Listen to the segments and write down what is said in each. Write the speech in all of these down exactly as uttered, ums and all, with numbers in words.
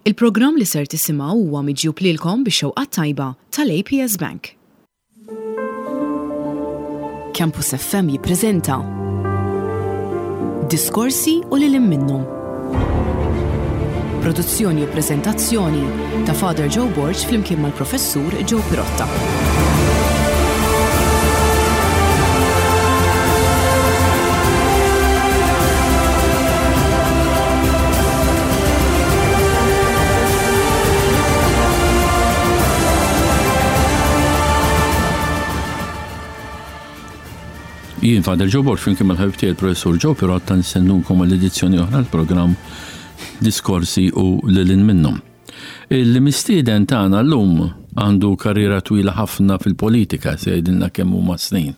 Il-programm li ser tisimgħu huwa miġjub lilkom bix-xewqa tajba tal-A P S Bank. Campus F M jippreżenta Diskorsi u lil minnhom. Produzzjoni u preżentazzjoni ta' Father Joe Borg flimkien mal-Professur Joe Pirotta. Jien Father Joe Borg flimkien mal-ħabib tiegħi il-Professur Joe Pirotta nistednukom għall-edizzjoni oħra l-programm Diskorsi u lil hinn minnhom. Il-mistieden tagħna llum għandu karriera twila ħafna fil-politika, se jgħidilna kemm huma snin.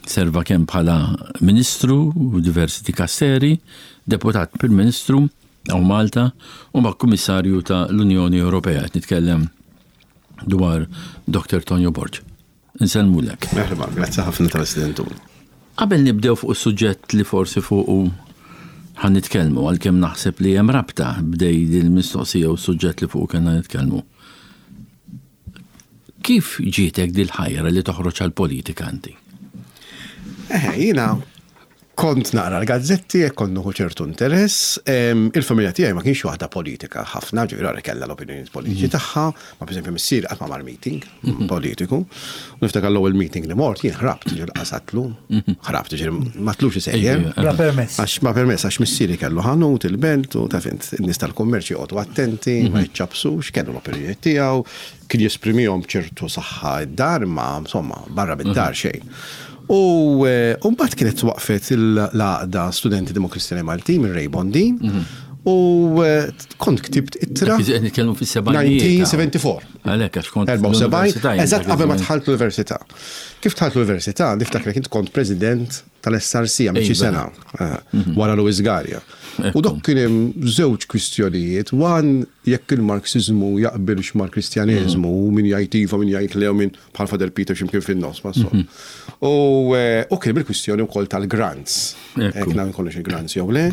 Serva kemm bħala ministru u diversi dikasteri, deputat Prim Ministru hawn Malta u ma' Kummissarju ta' l-Unjoni Ewropea. Qed nitkellem dwar Doktor Tonio Borg. Insellmulek. Merħba, grazzi ħafna tal-istedina. Qabel nibdew fuq is-suġġett li forsi fuq ħa nitkellmu, għalkemm naħseb li hemm rabta bejn il-mistoqsija u s-suġġett li fuq kellna nitkellmu. Kif ġietek dil-ħajra li toħroġ għal-politika inti? Eh, jiena kont naqra l-gazzetti e kont nieħu ċertu interess. Em, Il-familja tiegħi ma kienx waħda politika ħafna, ġifieri għara kellha l-opinjoni politiċi tagħha, ma pereżempju missieri qatt ma mar meeting politiku. U niftakar l-ewwel meeting li mort jien ħrabt, ġifieri qasatlu, ħrabt, ġifieri ma tlux isejjer. Bla permess. Għax ma permess, għax missieri kellu ħanut il-belt u taf int, in-nies tal-kummerċ joqogħdu attenti, ma jiċċabsux, kellu l-opinjoni tiegħu, kien jesprimihom ċertu saħħa id-dar, ma insomma, barra bid-dar xejn. U eh, u mbagħad kienet waqfet l-għaqda Studenti Demokristjani Maltin minn Ray Bondin u eh, kont ktibt ittra. Dak qed nitkellmu fis-sebgħinijiet. elf disa' mija u erbgħa u sebgħin. Għalhekk għax kont erbgħa u sebgħin, l-università jien eżatt dak qabel ma iż-żmien. dħalt l-università. Kif dħalt l-università, niftakar kint kont president tal-S R C għamil xi Iva. sena, eh, wara Louis Galea. U dok kien hemm żewġ kwistjonijiet, one jekk il-Marxizmu jaqbilx mal-Kristjaneżmu, u min jgħid iva, min jgħid le, u min bħal Father Peter x'imkien fin-nofs, ma so. U eh, u kien hemm il-kwistjoni wkoll tal-grants. Ekku. Jekk nagħmel kollox il-grants jew le.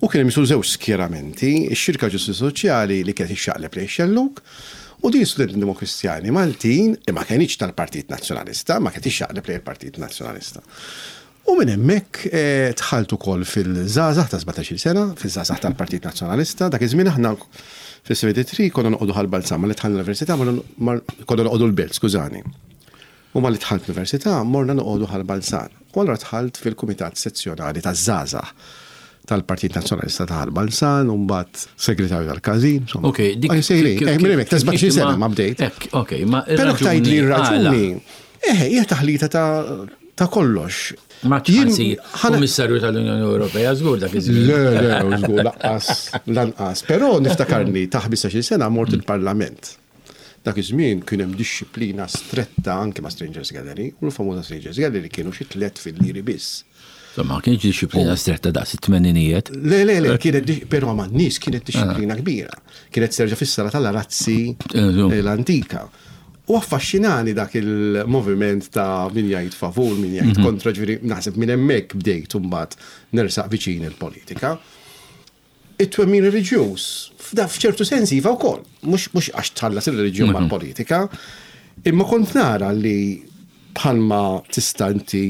U kien hemm jisu żewġ skjeramenti, ix-Xirka Ġustizzja Soċjali li kienet ixxaqleb lejn xelluk, u din Studenti Demokristjani Maltin, li ma kienx tal-Partit Nazzjonalista, ma kienet ixxaqleb lejn il-Partit Nazzjonalista. U minn hemmhekk eh, dħalt ukoll fil-żgħażagħ ta' sbatax-il sena, fil-żgħażagħ tal-Partit Nazzjonalista. Dak iż-żmien aħna fis-sebgħa u sebgħin konna noqogħdu Ħal Balzan, ma li dħalna l-università morna- konna noqogħdu l-Belt, skużani. U ma li dħalt l-università morna noqogħdu Ħal Balzan. U allura dħalt fil-Kumitat Sezzjonali taż-Żgħażagħ tal-Partit Nazzjonalista ta' Ħal Balzan, u mbagħad segretarju tal-każin. Insomma. Ok, dik. Ah, sejrin, kif- eh, minn hemmhekk, ta' kif- sbatax-il kif sena ma bdejt. Ek, ok, ma Però tgħid li għala? r-raġuni, eh, hija taħlita ta' ta' kollox. Ma Jien- ċansi, ħana- Kummissarju tal-Unjoni Ewropea, żgur dak iż-żmien. Le, le, żgur, lanqas, lanqas. Però niftakarni ta' ħmistax-il sena mort il-Parlament. Dak iż-żmien kien hemm dixxiplina stretta anke ma' Strangers Gallery, u l-famuża Strangers Gallery kienu xi tliet fil-liri biss. Ma kienx dixxiplina stretta daqs it-tmeninijiet. Le, le, le, kienet, di- però ma' nies kienet dixxiplina kbira. Kienet serġa fis-sala tal-arazzi Eh, l-antika. U affaxxinani dak il-moviment ta' min jgħid favur, min jgħid kontra, ġifieri naħseb minn hemmhekk bdejt mbagħad nersaq viċin il-politika. It-twemmin reliġjuż, f'da f'ċertu sens iva wkoll, mhux mhux għax tħallas il-reliġjon mal-politika, imma kont nara li bħalma tista' inti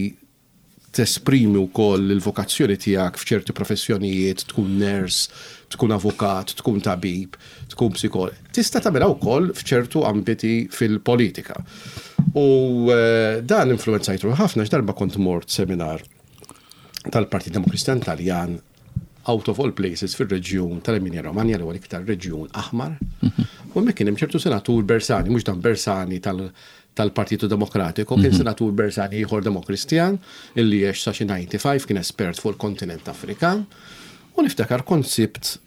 tesprimi wkoll il-vokazzjoni tiegħek f'ċerti professjonijiet, tkun nurse, tkun avukat, tkun tabib, tkun psikolog. Tista' tagħmilha wkoll f'ċertu ambiti fil-politika. U eh, dan influenzajtu ħafna x'darba kont mort seminar tal-Partit Demokristjan Taljan out of all places fil-reġjun tal-Emilia Romagna, li huwa l-iktar reġjun aħmar. U hemmhekk kien hemm ċertu senatur Bersani, mhux dan Bersani tal- tal-Partito Demokratiku, kien senatur Bersani ieħor Demokristjan illi għex sa xi ħamsa u disgħin, kien espert fuq il-kontinent Afrikan. U niftakar kont sibt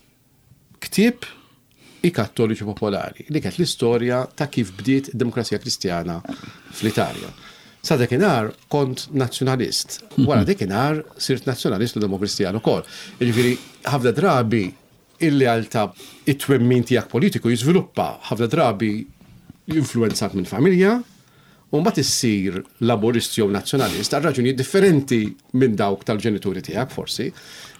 ktieb I Kattoliċi Popolari, li kienet l-istorja ta' kif bdiet id-demokrazija kristjana fl-Italja. Sa dakinhar kont nazzjonalist. Wara dakinhar sirt nazzjonalist u demokristjan ukoll. Jiġifieri ħafna drabi il-lealtà, it-twemmin tiegħek politiku jiżviluppa ħafna drabi influenzat minn familja. U mbagħad issir laburist jew nazzjonalist għal raġunijiet differenti minn dawk tal-ġenituri tiegħek forsi,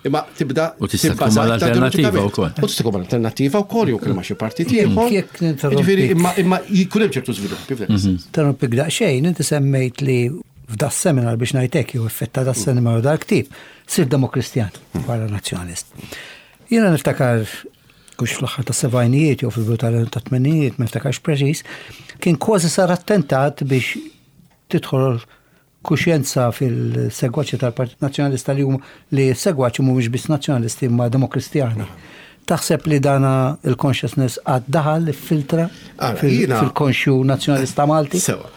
imma tibda U tista' tkun mal-alternattiva wkoll. U tista' tkun mal-alternattiva wkoll jew ma' xi partit ieħor. Jekk ninterrompik. Jiġifieri imma imma jkun hemm ċertu żviluppi f'dak is-sens. Interrompik daqsxejn, inti semmejt li f'da seminar biex ngħidlek jew effetta da seminar u dal-ktieb, sir demokristjan wara nazzjonalist. Jiena niftakar kux fl-aħħar ta' sebgħinijiet jew fil-bidu tal-tmenijiet, ma niftakarx preċiż, kien kważi sar attentat biex tidħol kuxjenza fil-segwaċi tal-Partit Nazzjonalista li huma li segwaċi mhumiex biss nazzjonalisti imma demokristjani. Taħseb li dana il-consciousness għad daħal filtra Ara, jiena- fil-konxju nazzjonalista Malti? Sewa.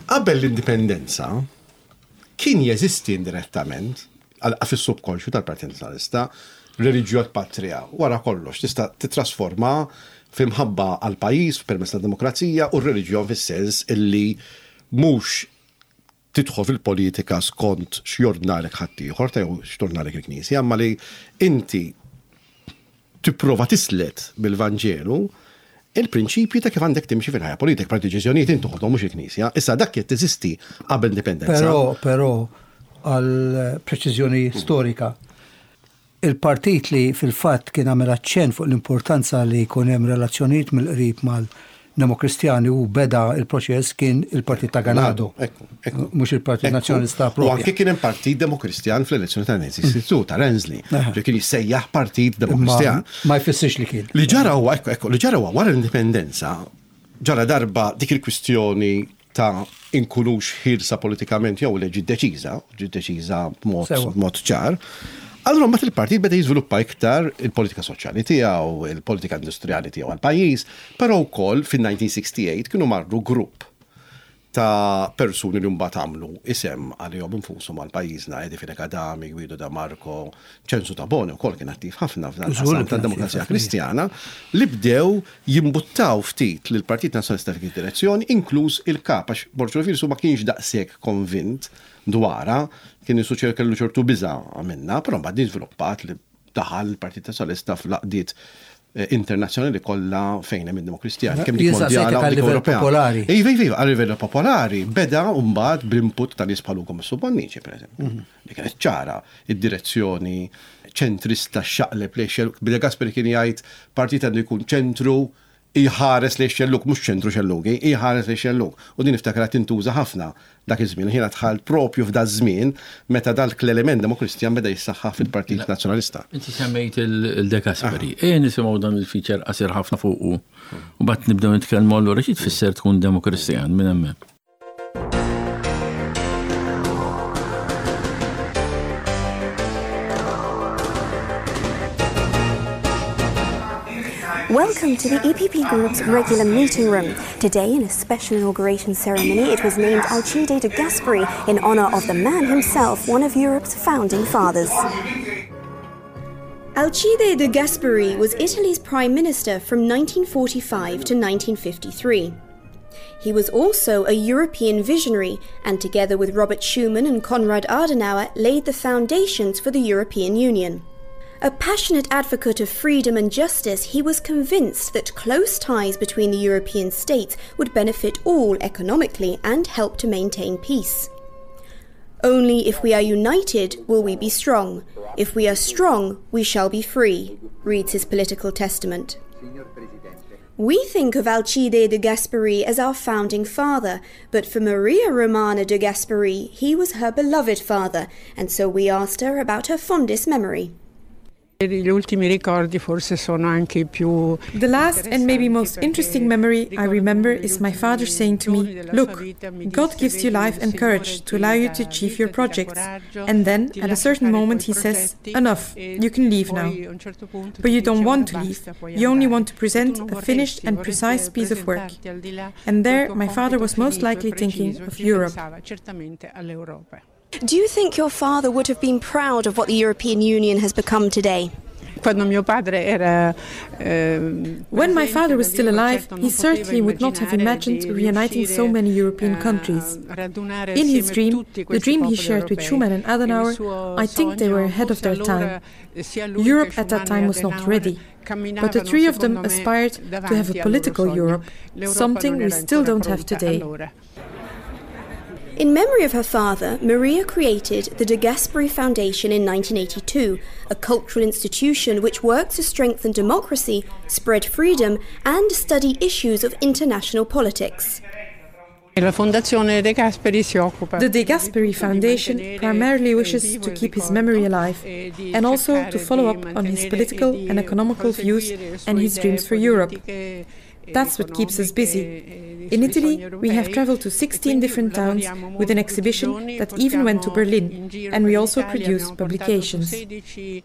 Qabel l-indipendenza kien jeżisti indirettament għal- fis-subkonxju tal-Partit Nazzjonalista reliġjon patrija. Wara kollox tista' titrasforma f'imħabba għal pajjiż permezz tad-demokrazija u r-reliġjon fis-sens illi mhux tidħol fil-politika skont x'jordnalek ħaddieħor ta' jew x'tordnalek il-Knisja, imma li inti tipprova tislet bil-Vanġelu il-prinċipji ta' kif għandek timxi fil-ħajja politika, per deċiżjonijiet inti toħodhom mhux il-Knisja. Issa dak qed teżisti qabel indipendenza. Però, però, għal preċiżjoni storika, il-partit li fil-fatt kien għamel aċċenn fuq l-importanza li jkun hemm relazzjonijiet mill-qrib mal-Demokristjani u beda il-proċess kien il-Partit ta' Ganado. Ekku, ekku. Mhux il-Partit Ekku. Nazzjonalista U propja. anke kien hemm Partit Demokristjan fl-elezzjoni ta' Nancy ta' Renzi, Aha. li kien jissejjaħ Partit Imma Demokristjan. ma jfissirx li kien. Li ġara huwa, ekku, ekku, li ġara huwa wara l-indipendenza, ġara darba dik il-kwistjoni ta' inkunux ħielsa politikament jew li ġiet deċiża, ġiet deċiża b'mod Sewa. b'mod ċar. Allura mbagħad il-partit beda jiżviluppa iktar il-politika soċjali tiegħu, il-politika industrijali tiegħu għall-pajjiż, però wkoll fin-elf disa' mija u tmienja u disgħin kienu marru grupp ta' persuni li mbagħad għamlu isem għalihom infushom għal pajjiżna, Eddie Fenech Adami, Guido De Marco, Ċensu Tabone wkoll kien attiv ħafna f'dan Żgur li il-qasam kien tad-Demokrazija attiv ħafna. Kristjana, li bdew jimbuttaw ftit lil Partit Nazzjonalista f'dik id-direzzjoni, inkluż il-kap, għax Borg Olivier ma kienx daqshekk konvint dwarha, kien isuċer kellu ċertu biża' minna, però mbagħad din żviluppat li daħal il-Partit Nazzjonalista fl-għaqdiet eh, internazzjonali kollha fejn hemm id-Demokristjani, kemm dik Jien saqsejtek mondjala u għal dik livell Ewropea. popolari. Iva, iva, iva, għal livell popolari, beda mbagħad bl-input ta' nies bħal Ugo Bonnici, per eżempju. Li kienet ċara id-direzzjoni ċentrista xaqleb li xellug. De Gasperi kien jgħid partit għandu jkun ċentru iħares li xellug, mhux ċentru xellugi, iħares li xellug. U din niftakra tintuża ħafna dak iż-żmien. Jiena dħalt propju f'da żmien meta dak l-element demokristjan beda jissaħħa fil-Partit Nazzjonalista. Inti semmejt il-De Gasperi. E nisimgħu dan il-feature qasir ħafna fuqu. U bat nibdew nitkellmu allura xi tfisser tkun demokristjan minn hemmhekk. Welcome to the E P P Group's regular meeting room. Today, in a special inauguration ceremony, it was named Alcide de Gasperi in honour of the man himself, one of Europe's founding fathers. Alcide de Gasperi was Italy's prime minister from nineteen forty-five to nineteen fifty-three. He was also a European visionary and, together with Robert Schuman and Konrad Adenauer, laid the foundations for the European Union. A passionate advocate of freedom and justice, he was convinced that close ties between the European states would benefit all economically and help to maintain peace. "Only if we are united will we be strong. If we are strong, we shall be free," reads his political testament. We think of Alcide de Gasperi as our founding father, but for Maria Romana de Gasperi, he was her beloved father, and so we asked her about her fondest memory. Gli ultimi ricordi forse sono anche i più The last and maybe most interesting memory I remember is my father saying to me, "Look, God gives you life and courage to allow you to achieve your projects." And then, at a certain moment, he says, "Enough, you can leave now." But you don't want to leave, you only want to present a finished and precise piece of work. And there, my father was most likely thinking of Europe. Do you think your father would have been proud of what the European Union has become today? Quando mio padre era ehm, When my father was still alive, he certainly would not have imagined reuniting so many European countries. In his dream, the dream he shared with Schuman and Adenauer, I think they were ahead of their time. Europe at that time was not ready, but the three of them aspired to have a political Europe, something we still don't have today. In memory of her father, Maria created the De Gasperi Foundation in nineteen eighty-two, a cultural institution which works to strengthen democracy, spread freedom, and study issues of international politics. La Fondazione De Gasperi si occupa The De Gasperi Foundation primarily wishes to keep his memory alive and also to follow up on his political and economical views and his dreams for Europe. That's what keeps us busy. In Italy, we have traveled to sixteen different towns with an exhibition that even went to Berlin, and we also produce publications. The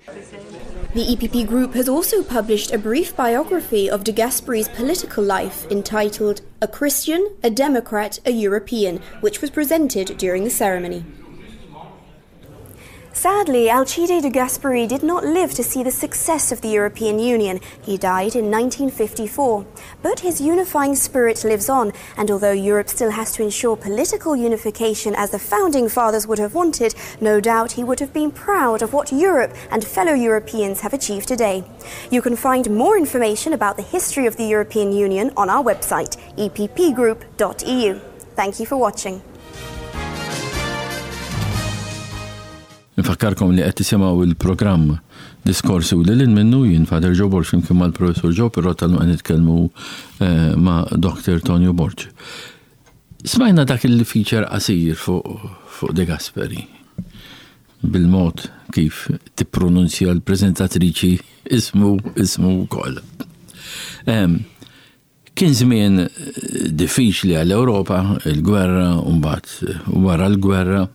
E P P Group has also published a brief biography of De Gasperi's political life entitled "A Christian, a Democrat, a European," which was presented during the ceremony. Sadly, Alcide de Gasperi did not live to see the success of the European Union. He died in nineteen fifty-four. But his unifying spirit lives on, and although Europe still has to ensure political unification as the founding fathers would have wanted, no doubt he would have been proud of what Europe and fellow Europeans have achieved today. You can find more information about the history of the European Union on our website, E P P group dot E U. Thank you for watching. Nfakkarkom li qed tisimgħu il-programm Diskorsi u lil minnu. Jien Father Joe Borg flimkien mal-Professor Joe Pirotta qed nitkellmu eh, ma' Doctor Tonio Borg. Smajna dak il-feature qasir fuq fuq De Gasperi bil-mod kif tippronunzja l-prezentatriċi ismu ismu wkoll. Kien żmien eh, diffiċli għall-Ewropa, il-gwerra, u mbagħad wara l-gwerra,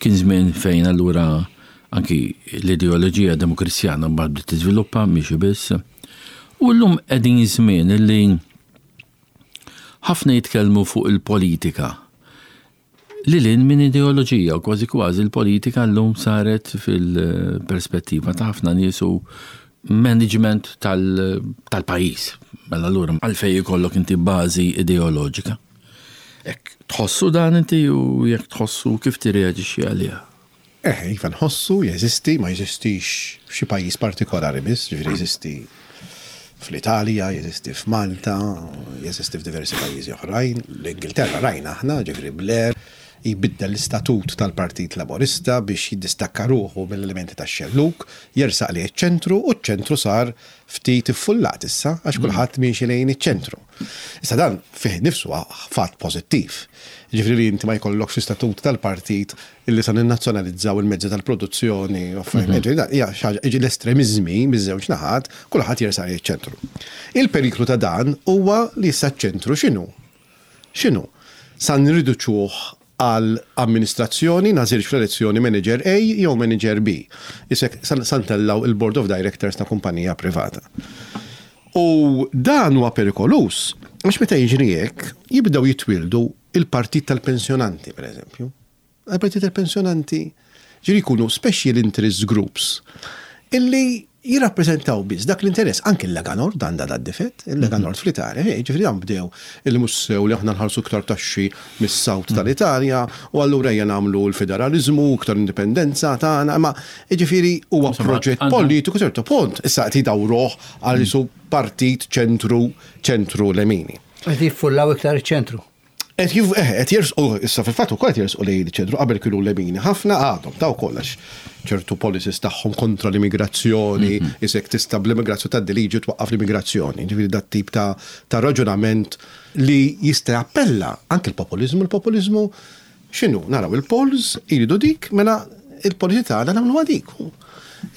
kien żmien fejn allura anki l-ideoloġija demokristjana mbagħad bdiet tiżviluppa mhix biss. U llum qegħdin żmien illi ħafna jitkellmu fuq il-politika. Lil hinn minn ideoloġija, u kważi kważi l-politika llum saret fil-perspettiva ta' ħafna nies u management tal-pajjiż. Mela allura għalfejn ikollok inti bażi ideoloġika? Jekk tħossu dan inti u jekk tħossu, kif tirreaġixxi għaliha? Eh, iva nħossu, jeżisti, ma jeżistix f'xi pajjiż partikolari biss, ġifieri jeżisti fl-Italja, jeżisti f'Malta, jeżisti f'diversi pajjiżi oħrajn. L-Ingilterra rajna aħna, ġifieri Blair jbiddel l-istatut tal-Partit Laborista biex jiddistakka ruħu mill-elementi tax-xelluk, jersaq lejn ċentru u ċ-ċentru sar ftit iffullat issa għax kulħadd miexi lejn iċ-ċentru. Issa dan fih nifsu fatt pożittiv. Ġifieri li inti ma jkollokx istatut tal-partit illi sa ninnazzjonalizzaw il-mezzi tal-produzzjoni, u affarijiet. Ġifieri dan hija xi ħaġa, jiġi l-estremiżmi miż-żewġ naħat, kulħadd jersaq lejn iċ-ċentru. Il-periklu ta' dan huwa li issa ċ-ċentru x'inhu? X'inhu? Sa nriduċuh għal amministrazzjoni, nagħżilx fl-elezzjoni manager A jew manager B. Isek sa ntellgħu il-Board of Directors ta' kumpanija privata. U dan huwa perikoluż, għax meta jiġri hekk, jibdew jitwildu il-partit tal-pensjonanti, per eżempju. Il-partit tal-pensjonanti ġifieri jkunu special interest groups illi jirrappreżentaw biss dak l-interess. Anke il-Lega Nord għandha da difett, il-Lega Nord fl-Italja, eh, ġifieri dan bdew illi mhux sew li aħna nħallsu iktar taxxi mis-South tal-Italja u allura ejja nagħmlu l-federalizmu, iktar indipendenza tagħna, ma ġifieri huwa Insomma, proġett għandha- politiku ċertu punt. Issa qed jdawruh għal isu partit ċentru ċentru lemini. Qed jiffullaw iktar iċ-ċentru. Et jif, eh, et jersqu, issa fil-fatt ukoll qed jersqu lejn iċ-ċentru, qabel kienu lemini ħafna, għadhom taw kollox ċertu policies tagħhom kontra l-immigrazzjoni, isek tista' bl-immigrazzjoni ta' liġi twaqqaf l-immigrazzjoni, ġifieri dat tip ta' ta' raġunament li jista' jappella anke l-populizmu, il-populizmu x'inhu? Naraw il-polls jridu dik, mela il-policy tagħna nagħmluha dik.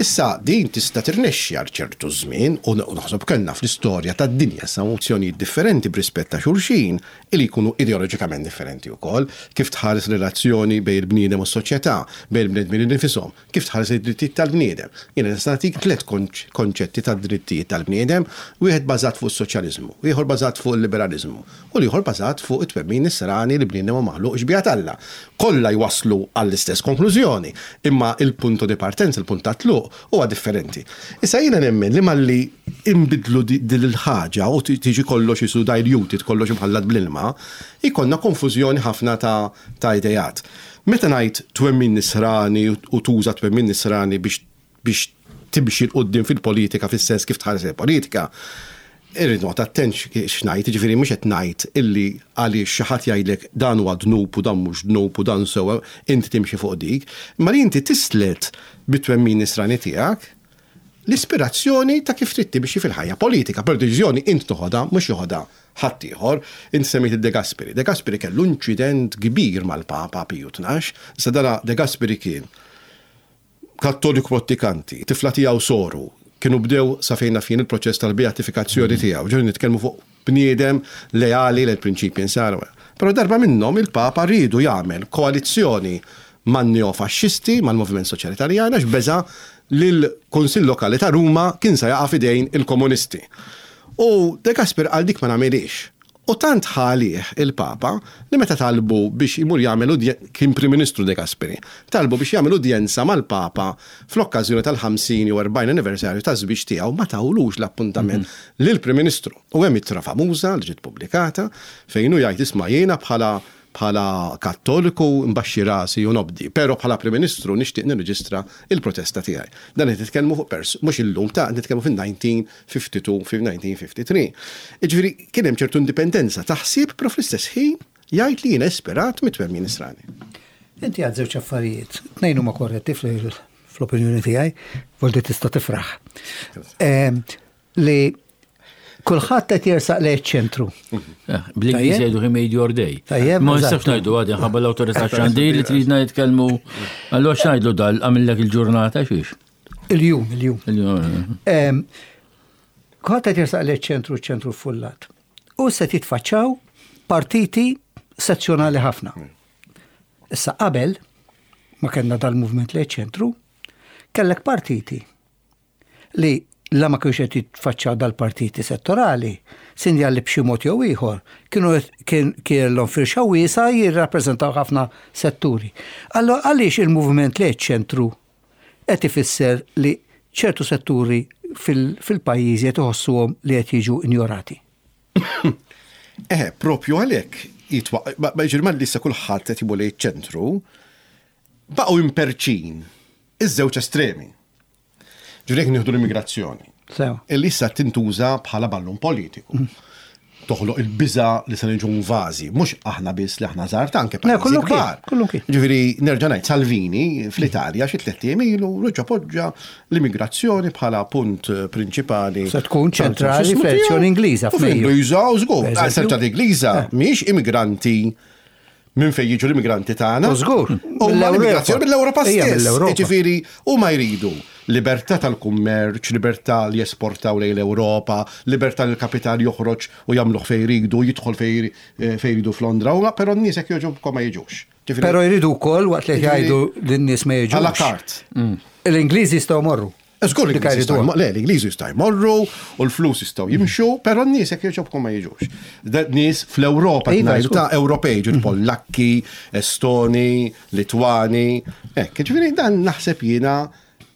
Issa din tista' tirnexxi għal ċertu żmien u naħseb kellna fl-istorja tad-dinja sa mozzjonijiet differenti b'rispett ta' xulxin li jkunu ideoloġikament differenti wkoll, kif tħares relazzjoni bejn il-bniedem u s-soċjetà, bejn il-bnedmin nifisom, kif tħares id-drittijiet tal-bniedem. Jiena nista' nagħtik tliet konċetti tad-drittijiet tal-bniedem, wieħed bażat fuq is-soċjaliżmu, ieħor bażat fuq il-liberaliżmu u l-ieħor bażat fuq it-twemmin nisrani li bniedem huwa maħluq xbieha t'Alla. Kollha jwaslu għall-istess konklużjoni, imma il-punto di partenza, il-punt ta' tluq huwa differenti. Issa jiena nemmen li malli imbidlu din il-ħaġa u tiġi kollox isu diluted, kollox imħallat bl-ilma, ikollna konfużjoni ħafna ta', ta' idejat. Meta ngħid twemmin nisrani u tuża twemmin nisrani biex biex timxi 'l quddiem fil-politika, fis-sens kif tħares il-politika, Irrid noqgħod attent x'ngħid, jiġifieri mhux qed ngħid illi għaliex xi ħadd jgħidlek dan huwa dnub u dan mhux dnub u dan sewwa, inti timxi fuq dik, imma li inti tislet bit-twemmin nisrani tiegħek l-ispirazzjoni ta' kif trid timxi fil-ħajja politika. Per deċiżjoni int toħodha, mhux joħodha ħaddieħor. Int semmejt il-De Gasperi. De Gasperi kellu inċident kbir mal-Papa Piju Tnax. Issa dana De Gasperi kien kattoliku prattikanti, tifla tiegħu soru, kienu bdew sa fejn naf jien il-proċess tal-beatifikazzjoni tiegħu. Ġifieri nitkellmu fuq bniedem leali lil prinċipji nsara. Però darba minnhom il-Papa riedu jagħmel koalizzjoni man-neofaxxisti, mal-Moviment Soċjali Taljan, għax beża li l-Kunsill Lokali ta' Ruma kien se jaqa' f'idejn il-komunisti. U De Gasperi qal dik ma nagħmilix. U tant ħalih il-Papa li meta talbu biex imur jagħmel kien Prim Ministru De Gasperi, talbu biex jagħmel udjenza mal-Papa fl-okkażjoni tal-ħamsin jew erbgħin anniversarju ta' żwieġ tiegħu, ma tawlux l-appuntament mhm. lill-Prim Ministru. U hemm ittra famuża li ġiet pubblikata fejn hu jgħid, "Isma', jiena bħala bħala kattoliku mbaxxi rasi u nobdi, pero bħala Prim Ministru nixtieq nirreġistra il-protesta tiegħi." Dan qed nitkellmu fuq pers, mhux illum ta' nitkellmu fin-elf disa' mija u tnejn u ħamsin, fil-elf disa' mija u tlieta u ħamsin. Jiġifieri kien hemm ċertu indipendenza ta' ħsieb, però fl-istess ħin jgħid li jiena ispirat mit-twemmin nisrani. Inti għad żewġ affarijiet, tnejn huma korretti fl-opinjoni tiegħi, volti tista' tifraħ. Li kulħadd qed jersaq lejn ċentru. Eh, bl-Ingliż jgħidu "he made your day". Tajjeb, Ma nistax ngħidu għadi ħabba l-awtorità xandir li tridna jitkellmu. Allura x'ngħidlu dal għamillek il-ġurnata xiex? Il-jum, il-jum. Il-jum. Em, Kulħadd qed jersaq lejn ċentru, ċentru fullat. U se titfaċċaw partiti sezzjonali ħafna. Issa qabel ma kellna dal-movement lejn ċentru, kellek partiti li la ma kienx qed jitfaċċaw dal-partiti settorali, sinjal li b'xi mod jew ieħor kienu kien kellhom firxa wiesa jirrappreżentaw ħafna setturi. Allora għaliex il-movement lejn ċentru qed ifisser li ċertu setturi fil-pajjiżi qed iħossuhom li qed jiġu injorati? Eh, propju għalhekk jitwa, ma jiġri ma issa kulħadd qed jimur lejn ċentru, baqgħu imperċin iż-żewġ estremi. Ġifieri jekk nieħdu l-immigrazzjoni. Sew. Illi issa tintuża bħala ballun politiku. Toħloq il-biża li se niġu invażi, mhux aħna biss li aħna żgħar, ta' anke Le, pajjiżi kullu kien, kbar. kullu kien. Ġifieri nerġa' ngħid, Salvini fl-Italja xi tliet ijiem ilu reġa' poġġa l-immigrazzjoni bħala punt prinċipali. Se tkun ċentrali fl-elezzjoni Ingliża U f'Mejju. fl-Ingliża, u żgur. Per eżempju. Ċentrali Ingliża mhix immigranti minn fejn jiġu l-immigranti tagħna. U żgur, U mill-Ewropa. l-immigrazzjoni mill-Ewropa Ija, stess. mill-Ewropa. Ġifieri huma jridu libertà tal-kummerċ, libertà li jesportaw lejn l-Ewropa, libertà li l-kapital joħroġ u jagħmluh fejn jridu, jidħol fejn eh, fejn jridu f'Londra, u però n-nies jekk jogħġobkom ma jiġux. Ġifieri, Però jridu wkoll waqt li Ġifieri- jgħidu lin-nies ma jiġux. À la carte. L-Ingliżi jistgħu morru. Żgur Dik l-Ingliżi jridu. jistgħu, le, l-Ingliżi jistgħu jmorru u l-flus jistgħu jimxu, però n-nies jekk jogħġobkom ma jiġux. Da- Nies fl-Ewropa Iva, ngħidu żgur. ta' Ewropej, ġifieri Pollakki, Estoni, Litwani, hekk, ġifieri dan naħseb jiena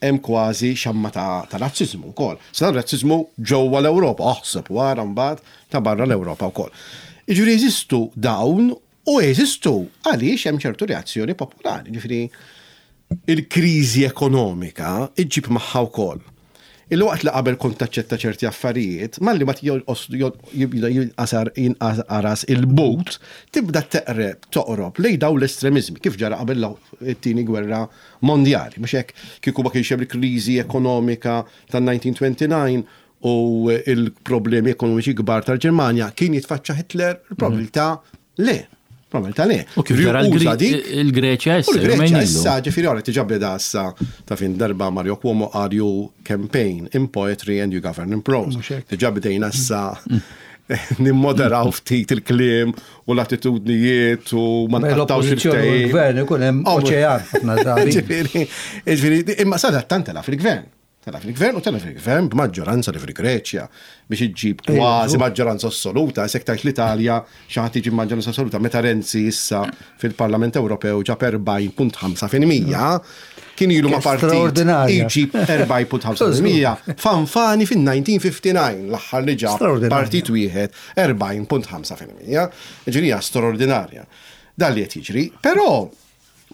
hemm kważi xamma ta' ta' razzizmu wkoll. Sa dan razzizmu ġewwa l-Ewropa, aħseb wara mbagħad ta' barra l-Ewropa wkoll. Jiġifieri jeżistu dawn u jeżistu għaliex hemm ċertu reazzjoni popolari. Ġifieri il-kriżi ekonomika iġġib magħha wkoll. Il-waqt li qabel kont taċċetta ċerti affarijiet, malli ma jibda jinqasar jinqaras il-but, tibda teqreb, toqrob lej daw l-estremizmi, kif ġara qabel it-tieni gwerra mondjali. Mhux hekk, kieku ma kienx hemm il-kriżi ekonomika tan-elf disa' mija u disgħa u tletin u il-problemi ekonomiċi kbar tal-Ġermanja, kien jitfaċċa Hitler? Il-probabilità le. Probabilità le. U kif ġara Uża dik il-Greċja U issa, l-Greċja jumejn ilu. issa, ġifieri għara tiġa beda issa ta' fin darba Mario Cuomo qal, "You campaign in poetry and you govern in prose." Mhux hekk. Diġà bdejna issa nimmoderaw ftit il-kliem u l-attitudnijiet u ma Bejn nqattawx l-oppożizzjoni u il-ftehim. l-gvern ikun hemm Oh, oċean ħafna drabi. Ġifieri, ġifieri, imma sadattant tela fil-gvern. Tela fil-gvern u tela fil-gvern b'maġġoranza li fil-Greċja biex iġġib kważi maġġoranza assoluta, sekk tajt l-Italja xi ħadd iġib maġġoranza assoluta. Meta Renzi issa fil-Parlament Ewropew ġab erbgħin punt ħamsa fil-mija, kien ilu ma partit Straordinarja. iġib erbgħin punt ħamsa fil-mija. Fanfani fin-elf disa' mija u disgħa u ħamsin l-aħħar li ġab Straordinarja. partit wieħed erbgħin punt ħamsa fil-mija. Ġifieri straordinarja. Dan li qed jiġri, però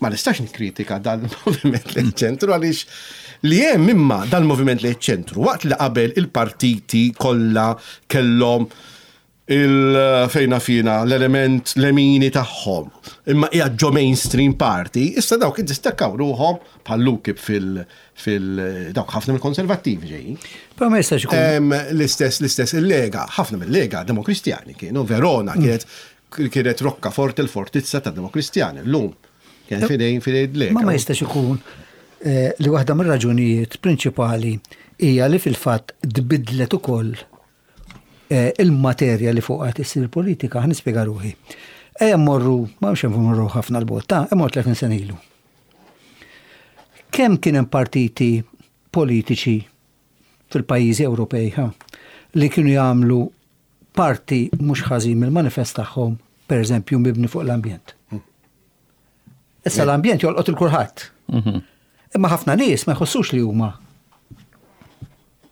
Ma nistax nikkritika dal-moviment lejn ċentru għaliex li hemm imma dal-moviment lejn ċentru waqt li qabel il-partiti kollha kellhom il-fejna fina l-element lemini tagħhom imma hija ġo mainstream party, issa dawk iddistakkaw ruħhom bħal UKIP fil fil dawk ħafna mill-konservattivi ġejjin. Però ma jistax ikun. Em, L-istess, l-istess, il-Lega, ħafna mill-Lega demokristjani kienu, Verona kienet kienet roccaforte l-fortizza ta' demokristjani, l-lum. Kien fidejn fidejn Lega. Ma ma jistax ikun eh, li waħda mir-raġunijiet prinċipali hija li fil-fatt tbidlet ukoll eh, il-materja li fuqha tissir il-politika, ħa nispjega ruħi. Ejja mmorru, ma mhux mmorru ħafna 'l bogħod, ta' immorru tletin sena ilu. Kemm kien hemm partiti politiċi fil-pajjiżi Ewropej ha, li kienu jagħmlu parti mhux ħażin mill-manifest tagħhom, pereżempju mibni fuq l-ambjent. Issa l-ambjent jolqot lil kulħadd. Imma ħafna nies ma jħossux li huma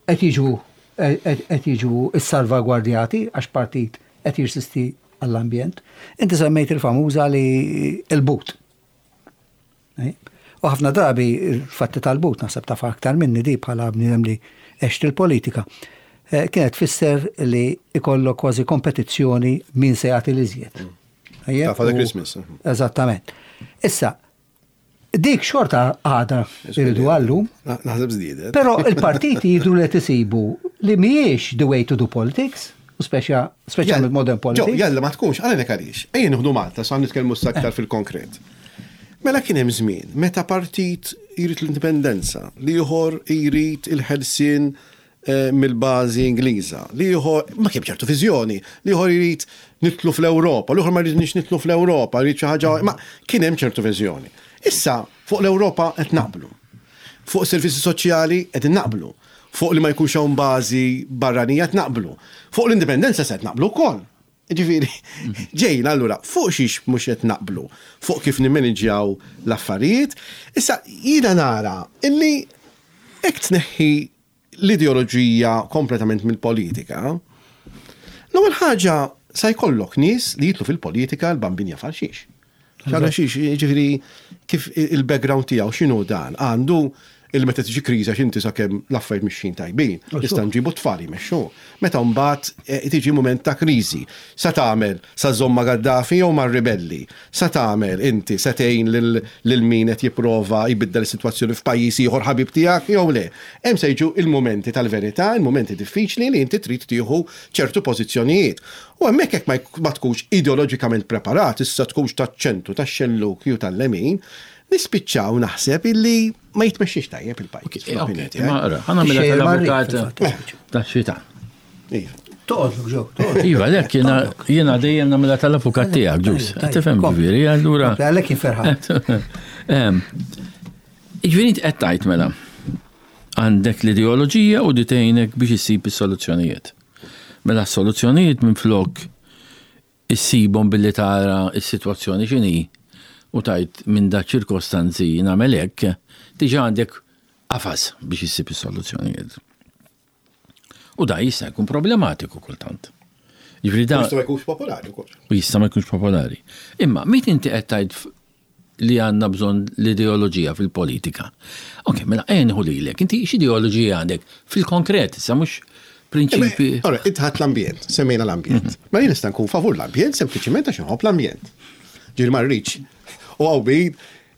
qed jiġu qed jiġu issalvagwardjati għax partit qed jirsisti għall-ambjent. Inti semmejt il-famuża li il-but. U ħafna drabi il-fatti tal-but naħseb taf aktar minni di bħala bniedem li għext il-politika. Eh, Kienet tfisser li ikollok kważi kompetizzjoni min se jagħti l-iżjed. Ta' Father U- Christmas. Eżattament. Issa, dik xorta għada irridu għallum, Na- Naħseb żdiedet. pero il-partiti jidru li tisibu li mhijiex the way to do politics, u speċa speċjalment modern Ġo, politics. jalla ma tkunx, għalek għaliex. Ejja nieħdu Malta, sa nitkellmu aktar fil-konkret. Mela kien hemm żmien meta partit jrid l-indipendenza, l-ieħor jrid il-ħelsien eh, mill-bażi Ingliża, l-ieħor ma kien ċertu viżjoni, l-ieħor jrid nidħlu fl-Ewropa, l-ieħor ma jridniex nidħlu fl-Ewropa, jrid xi ħaġa, ma kien hemm ċertu viżjoni. Issa fuq l-Ewropa qed naqblu. Fuq servizzi soċjali qed naqblu. Fuq li ma jkunx hawn bażi barranija qed naqblu. Fuq l-indipendenza se qed naqblu wkoll. Ġifieri, ġejna allura fuq xiex mhux qed naqblu, fuq kif nimmaniġjaw l-affarijiet. Issa jiena nara illi hekk tneħħi l-ideoloġija kompletament mill-politika. L-ewwel ħaġa sa jkollok nies li jidħlu fil-politika l-bambin jaf għal xiex. Għal xiex, ġifieri kif il-background tiegħu x'inhu dan, għandu il-meta tiġi kriża x'inti sakemm l-affarijiet mixjin tajbin, nista' nġibu tfal jmexxu. Meta mbagħad eh, tiġi mument ta' kriżi, sa tagħmel sa żomm ma' Gaddafi jew mar-ribelli, sa tagħmel inti sa tgħin lil lil min qed jipprova jbiddel is-sitwazzjoni f'pajjiż ieħor ħabib tiegħek jew le. Hemm se jiġu il-mumenti tal-verità, il-mumenti diffiċli li inti trid tieħu ċertu pożizzjonijiet. U hemmhekk jekk ma jk- ma tkunx ideoloġikament preparat, issa tkunx taċ-ċentru, tax-xelluk jew tal-lemin, nispiċċaw naħseb illi ma jitmexxix tajjeb il-pajjiż. fl-opinjoni tiegħi. Ma ara, ħa nagħmilha Xejn marri, tal-avukat fil-fatt. tax-xitan. Iva. Toqgħodlok ġew, toqgħodlok. Iva, lek jiena jiena dejjem nagħmilha tal-avukat tiegħek, ġus. Tajjeb, tajjeb, Tifhem kompli. ġifieri, allura. Kompli, Għalhekk jien ferħan. Em, Ġifieri inti qed tgħid mela. Għandek l-ideoloġija u di tgħinek biex issib is-soluzzjonijiet. Mela s-soluzzjonijiet minn flok issibhom billi tara s-sitwazzjoni x'inhi u tajt minn da ċirkostanzi nagħmel hekk, diġà għandek qafas biex issib is-soluzzjonijiet. U da jista' jkun problematiku kultant. Ġifieri da Jista' ma jkunx popolari wkoll. u jista' ma jkunx popolari. Imma mit inti qed tgħid f- li għandna bżonn l-ideoloġija fil-politika. Ok, mela ejja nieħu lilek, inti x'ideoloġija għandek fil-konkret, issa mhux prinċipi. Ora, intħat l-ambjent, semmejna l-ambjent. Ma jien nista' nkun favur l-ambjent sempliċiment għax inħobb l-ambjent. Ġifieri ma rridx. U hawn min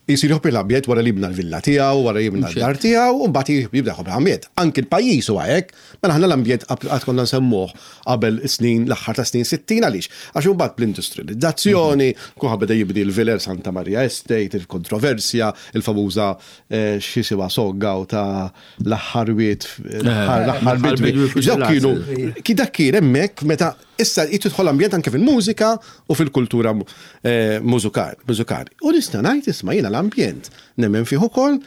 jisir jħobb l-ambjent wara li jibna l-villa tiegħu, wara jibna l-dar tiegħu, u mbagħad jibda jħobb l-ambjent. Anki l-pajjiż huwa hekk, mela aħna l-ambjent qatt konna nsemmuh qabel snin l-aħħar ta' snin sittin għaliex. Għax imbagħad bl-industrializzazzjoni, kulħadd beda jibni l-Viler Santa Maria Estate, il-kontroversja, il-famuża eh, x'jisimha soggaw ta' l-aħħar wiet, l-aħħar l-aħħar l-aħħar bidwi. bidwi fuq Dawk kienu ki dak kien hemmhekk meta issa jidħol ambjent anke fil-mużika u fil-kultura eh, mużikali. mużikali. U nista' ngħid isma' jiena l-ambjent nemmen fih ukoll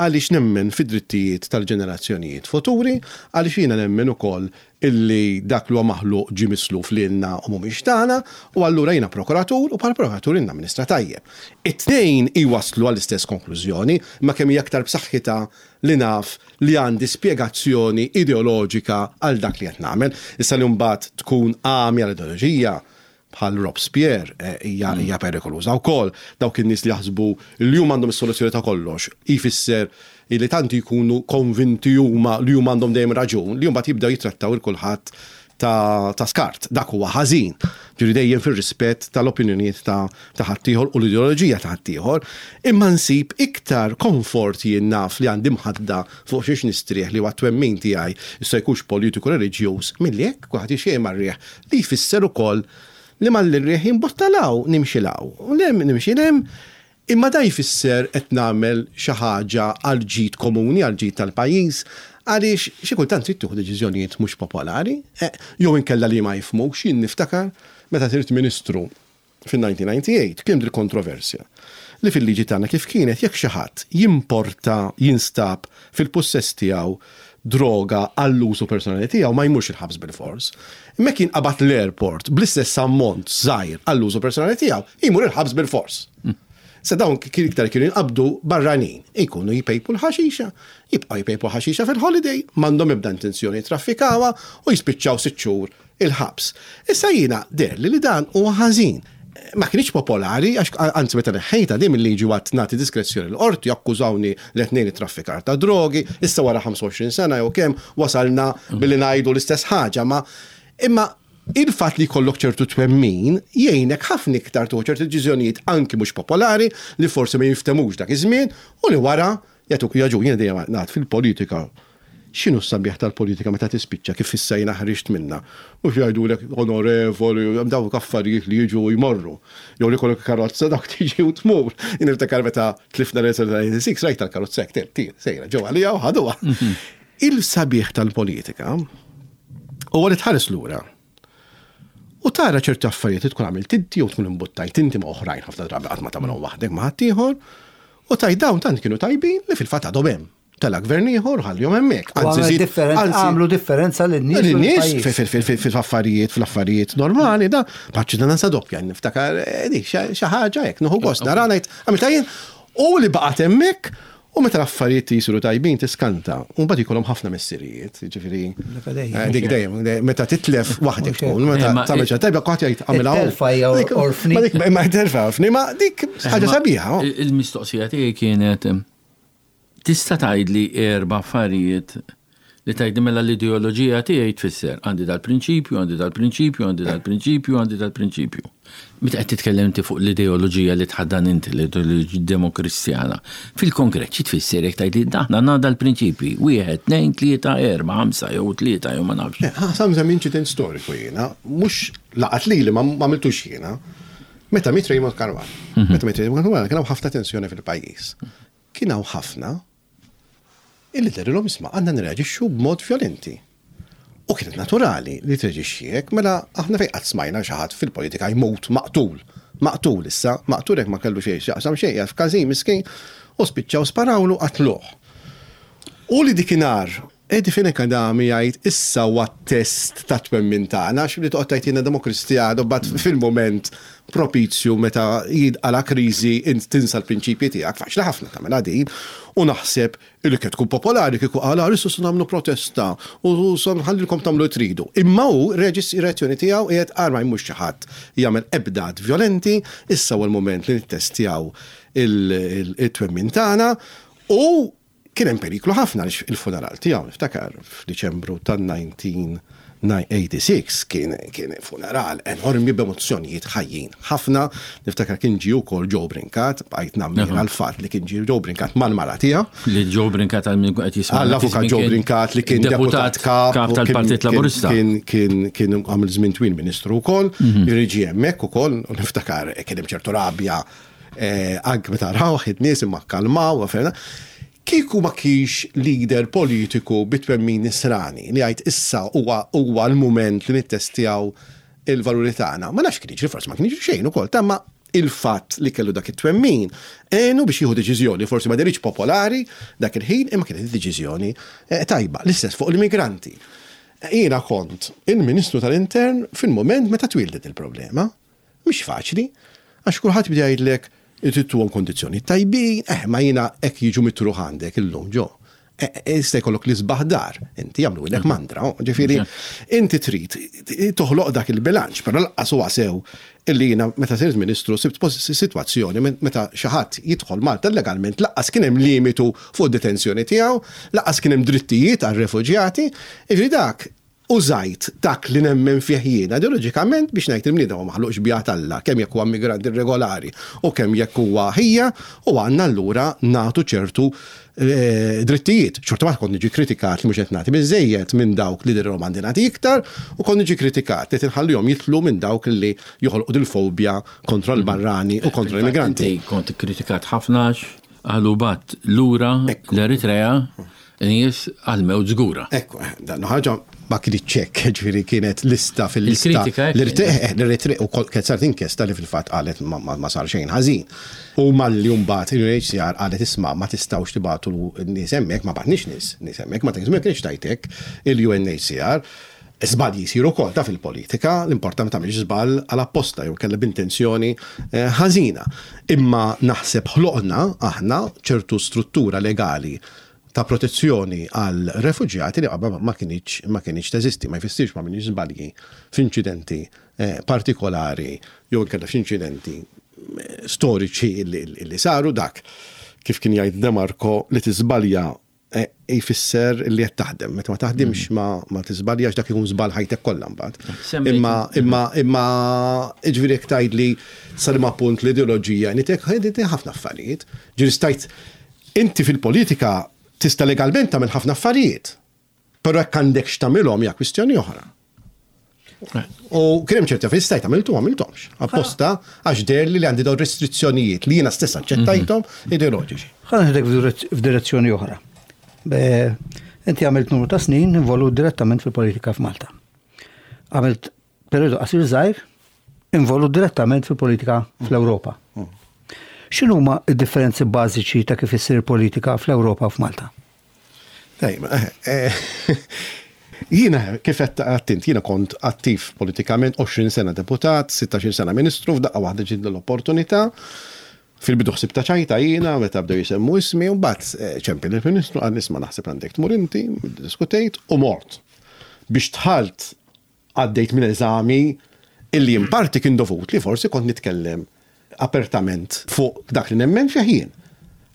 għaliex nemmen fid-drittijiet tal-ġenerazzjonijiet futuri, għaliex jiena nemmen ukoll illi dak li huwa maħluq ġie misluf lilna u mhumiex tagħna, u allura jiena prokuratur u bħala prokuratur jiena amministra tajjeb. It-tnejn iwaslu għall-istess konklużjoni, ma kemm hija aktar b'saħħitha li naf li għandi spjegazzjoni ideoloġika għal dak li qed nagħmel. Issa li mbagħad tkun għamja l-ideoloġija, bħal Robespierre eh, hija hija perikoluża wkoll. Dawk in-nies li jaħsbu li huma għandhom is-soluzzjoni ta' kollox, jfisser li tanti jkunu konvinti huma li huma għandhom dejjem raġun, li mbagħad jibdew jitrattaw il kulħadd ta', ta' skart. Dak huwa ħażin. Ġifieri dejjem fir-rispett tal-opinjonijiet ta' ta' ħaddieħor u l-ideoloġija ta' ħaddieħor, imma nsib iktar komfort jien naf li għandi mħadda fuq xiex nistrieħ li huwa twemmin tiegħi issa jkunx politiku reliġjuż milli hekk kulħadd jixxej mar-riħ li jfisser ukoll li mal-riħ jimbotta law nimxi law. U lem nimxi lem. Imma da jfisser qed nagħmel xi ħaġa għal ġid komuni, għal ġid tal-pajjiż, għaliex xi kultant trid tieħu deċiżjonijiet mhux popolari, eh, jew inkella li ma jifhmux. Jien niftakar meta sirt ministru fin-elf disa' mija u disgħa u disgħin kien dil kontroversja li fil-liġi tagħna kif kienet jekk xi ħadd jimporta, jinstab fil-pussess tiegħu droga għall-użu personali tiegħu, ma jmurx il-ħabs bil-fors. Imma kien qabad l-airport bl-istess ammont żgħir għall-użu personali tiegħu, jmur il-ħabs bil-fors. Sa dawn kien iktar kienu jinqabdu barranin, ikunu jpejpu l-ħaxixa, jibqgħu jpejpu ħaxixa fil-holiday, m'għandhom ebda intenzjoni traffikawha u jispiċċaw sitt xhur il-ħabs. Issa jiena deherli li dan huwa ħażin. Ma kienx popolari, għax anzi meta neħħejta din mill-liġi għat nagħti diskrezzjoni l-qorti, akkużawni li qed ngħin traffikar ta' drogi, issa wara ħamsa u għoxrin sena jew kemm wasalna billi ngħidu l-istess ħaġa, ma imma il-fatt li jkollok ċertu twemmin jgħinek ħafna iktar tuħu ċertu deċiżjonijiet anki mhux popolari li forsi ma jiftemux dak iż-żmien u li wara jagħtuk jaġu. Jiena dejjem ngħid fil-politika, x'inhu s-sabiħ tal-politika meta tispiċċa, kif issa jiena ħriġt minna? Mhux jgħidulek onorevoli, dawk affarijiet li jiġu u jmorru. Jew li kollok karozza, dawk tiġi u tmur. Jien niftakar meta tlifna l-sitta u disgħin, rajt tal-karozza hekk tir sejra ġewwa għalija u ħaduha. Il-sabiħ tal-politika huwa li tħares lura u tara ċerti affarijiet li tkun għamilt inti u tkun imbuttajt inti ma' oħrajn, ħafna drabi qatt ma tagħmelhom waħdek, ma' ħaddieħor, u taj dawn tant kienu tajbin li fil-fatt għadhom hemm. Tela gvern ieħor ħallihom hemmhekk. U għamel żid- differen- anzi- għamlu differenza lin-nies u Lin-nies lill-pajjiż. fil-affarijiet, fil-affarijiet normali, da, paċ-ċittadinanza doppja, niftakar, eh, dik xi ħaġa hekk, nieħu gost, nara ngħid, għamilta jien, u li baqgħet hemmhekk, u meta l-affarijiet jisiru tajbin tiskanta, u mbagħad ikollhom ħafna missirijiet, ġifieri. Dak dejjem. eh, Dik dejjem, meta titlef waħdek tkun, meta Eh, ma- tagħmel xi tajba kulħadd jgħid għamilha. It-telfa hija Dik- orfni. Ma dik ma telfa orfni, ma dik ħaġa Ma sabiħa. oh. il- Il-mistoqsija tiegħi kienet em, tista' tgħidli erba' affarijiet li tgħidli mela l-ideoloġija tiegħi tfisser għandi dal-prinċipju, għandi dal-prinċipju, għandi dal-prinċipju, għandi dal-prinċipju. Meta qed titkellem inti fuq l-ideoloġija li tħaddan inti, l-ideoloġija demokristjana, fil-konkret xi tfisser jekk tgħidli aħna għandna dal-prinċipji, wieħed, tnejn, tlieta, erba', ħamsa jew tlieta jew ma nafx. Eh, Ħa nsemmi incident storiku jiena, mhux laqat li li ma ma għamiltux jiena. Meta miet Raymond Caruana. Meta miet Raymond Caruana kien hawn ħafna tensjoni fil-pajjiż. Kien hawn ħafna illi dehrilhom, isma', għandna nirreaġixxu b'mod violenti. U kienet naturali li treġixxi hekk, mela aħna fejn qatt smajna xi ħadd fil-politika jmut maqtul. Maqtul issa, maqtul hekk ma kellu xejn x'jaqsam xejn, jgħid f'każin miskin, u spiċċaw sparawlu, qatluh. U li dikinhar, Eddie Fenech Adami jgħid issa huwa test ta' twemmin tagħna, għax li toqgħod tgħid jiena demokristjan u bad fil-moment propizju meta jidqala kriżi int tinsa l-prinċipji tiegħek, faċli ħafna tagħmel din, u naħseb li kien tkun popolari kieku qal issa se nagħmlu protesta u se nħallilkom tagħmlu li tridu. Imma hu reġis ir-reazzjoni tiegħu qiegħed arma mhux xi ħadd jagħmel ebda att violenti, issa huwa l-moment li nittestjaw il-twemmin tagħna. U kien hemm periklu ħafna għaliex il-funeral tiegħu, niftakar f'Diċembru tan-elf disa' mija u sitta u disgħin, kien kien funeral enormi b'emozzjonijiet ħajjin ħafna. Niftakar kien ġie wkoll Joe Brincat, bqajt nammira l-fatt li kien ġie Joe Brincat mal-mara tiegħu. Li Joe Brincat għal min qed jisma' Għall-avukat Joe Brincat li kien deputat kap u kien- tal-Partit kien- Laburista. Kien kien kien għamil żmien twil ministru wkoll, jiġi hemmhekk ukoll, u niftakar kien hemm ċertu rabja eh, anke meta raw nies imma kalmaw u ferna. Kieku ma kienx leader politiku bit-twemmin nisrani li għajt issa huwa huwa l-mument li nittestjaw il-valuri tagħna. Ma nafx kien jiġri, forsi ma kien jiġri xejn ukoll, tamma il-fatt li kellu dak it-twemmin għenu biex jieħu deċiżjoni forsi ma deritx popolari dak il-ħin, imma kienet deċiżjoni eh, tajba. L-istess fuq l-immigranti. Jiena kont il-Ministru tal-Intern fil-moment meta twildet il-problema. Mhix faċli, għax kulħadd bida jgħidlek tittuhom kondizzjoni tajbin, eh, ma jiena hekk jiġu mitruħ għandek illum ġo. Jista' jkollok l-isbaħ dar, inti jagħmlu mandra, ġifieri inti trid toħloq dak il-bilanċ, però lanqas huwa sew illi jiena meta sirt ministru sibt sitwazzjoni meta xi ħadd jidħol Malta legalment lanqas kien hemm limitu fuq detenzjoni tiegħu, lanqas kien hemm drittijiet għar-refuġjati, jiġifieri dak użajt dak li nemmen fih jiena ideoloġikament biex ngħid il-bniedem huwa maħluq xbieha t'Alla, kemm jekk huwa migrant irregolari u kemm jekk huwa ħija, u għandna allura nagħtu ċertu drittijiet. Xorta ma kont niġi kritikat li mhux qed nagħti biżejjed minn dawk li dirhom għandi nagħti iktar u kont niġi kritikat li tinħallihom jitlu minn dawk li joħolqu dil-fobja kontra l-barrani u kontra l-immigranti. Kont kritikat ħafna għalu bat lura l-Eritrea nies għal-mewt żgura. Ekku, dan ħaġa ma kienx hekk, ġifieri kienet lista fil-lista. L-Eritrea u kienet saret inkjesta li fil-fatt qalet ma sar xejn ħażin. U malli mbagħad il-U N H C R qalet, "Isma', ma tistgħux tibagħtu nies hemmhekk", ma bagħatniex nies, nies hemmhekk, ma ma kienx tajtek il-U N H C R. Żbalji jsiru wkoll ta' fil-politika, l-importanti tagħmilx żball għal apposta jew kellha b'intenzjoni ħażina. Imma naħseb ħloqna aħna ċertu struttura legali ta' protezzjoni għal refuġjati li qabel ma kienx ma kienx teżisti. Ma jfissirx ma minix żbalji f'inċidenti partikolari jew inkella f'inċidenti storiċi li saru. Dak kif kien jgħid De Marco, li tiżbalja jfisser li qed taħdem. Meta ma taħdimx ma ma tiżbaljax, dak ikun żball ħajtek kollha mbagħad. Imma imma imma ġifieri jekk tgħidli sa liema punt l-ideoloġija, nitek ħafna affarijiet. Ġifieri stajt inti fil-politika tista' legalment tagħmel ħafna affarijiet. Però jekk għandek x'tagħmilhom hija kwistjoni oħra. U kien hemm ċerti affarijiet stajt għamiltu, għamilthomx. Apposta għax deher li li għandi dawn restrizzjonijiet li jiena stess aċċettajthom ideoloġiċi. Ħa neħdek f'direzzjoni oħra. Inti għamilt numru ta' snin involut direttament fil-politika f'Malta. Għamilt periodu qasir żgħir involut direttament fil-politika fl-Ewropa. X'inhuma d-differenzi bażiċi ta' kif issir politika fl-Ewropa u f'Malta? Tajba, jiena kif qed attint, jiena kont attiv politikament għoxrin sena deputat, sittax-il sena ministru, f'daqqa waħda ġiet l-opportunità. Fil-bidu ħsib ta' ċajta jiena, meta bdew jisemmu ismi, u mbagħad ċempel il-Ministru, qal, "Isma', naħseb għandek tmur inti", diskutejt u mort. Biex dħalt għaddejt minn eżami illi in parti kien dovut li forsi kont nitkellem apertament fuq dak li nemmen fih jien.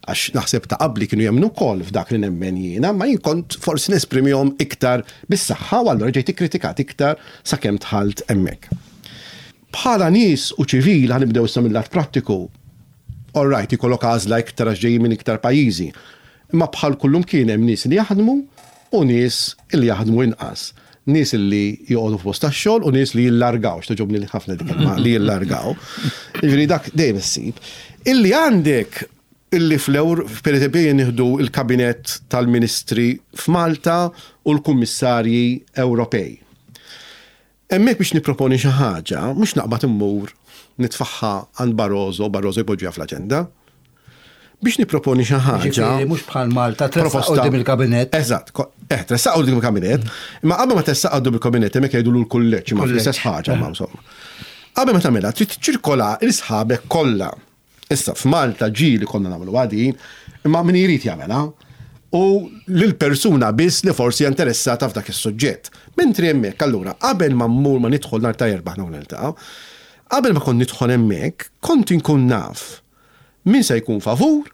Għax naħseb ta' qabli kienu jemmnu wkoll f'dak li nemmen jiena, ma jien kont forsi nesprimihom iktar bis-saħħa u allura ġejt ikkritikat iktar sakemm dħalt hemmhekk. Bħala nies u ċivil, ħa nibdew issa mill-lat prattiku, all right, ikollok għażla iktar għax ġejjin minn iktar pajjiżi. Imma bħal kullum kien hemm nies li jaħdmu u nies li jaħdmu inqas. Nies li joqogħdu f'post tax-xogħol u nies li jillargaw, x'togħġobni li ħafna dik kelma li jillargaw. Jiġifieri dak dejjem issib. Illi għandek illi fl-Ewr, per eżempju, nieħdu il-kabinet tal-ministri f'Malta u l-kummissarji Ewropej. Hemmhekk biex niproponi xi ħaġa, mhux naqbad immur nitfagħha għand Barroso, Barroso jpoġġiha fl-aġenda. Biex niproponi xi ħaġa. Ġifieri mhux bħal Malta tressaq quddiem il-kabinet. Eżatt, eh, tressaq quddiem il-kabinet, imma qabel ma tressaq quddiem il-kabinet hemmhekk jgħidu l-kulleġġ, ma fl-istess ħaġa, ma insomma. Qabel ma tagħmilha trid tiċċirkola l-sħabek kollha. Issa f'Malta ġieli konna nagħmlu għadin, imma min jrid jagħmilha u lil-persuna biss li forsi interessata f'dak is-suġġett. Mentri hemmhekk allura qabel ma mmur ma nidħol nhar ta' Erbgħa aħna niltaqgħu, qabel ma kont nidħol hemmhekk, kont inkun naf min se jkun favur,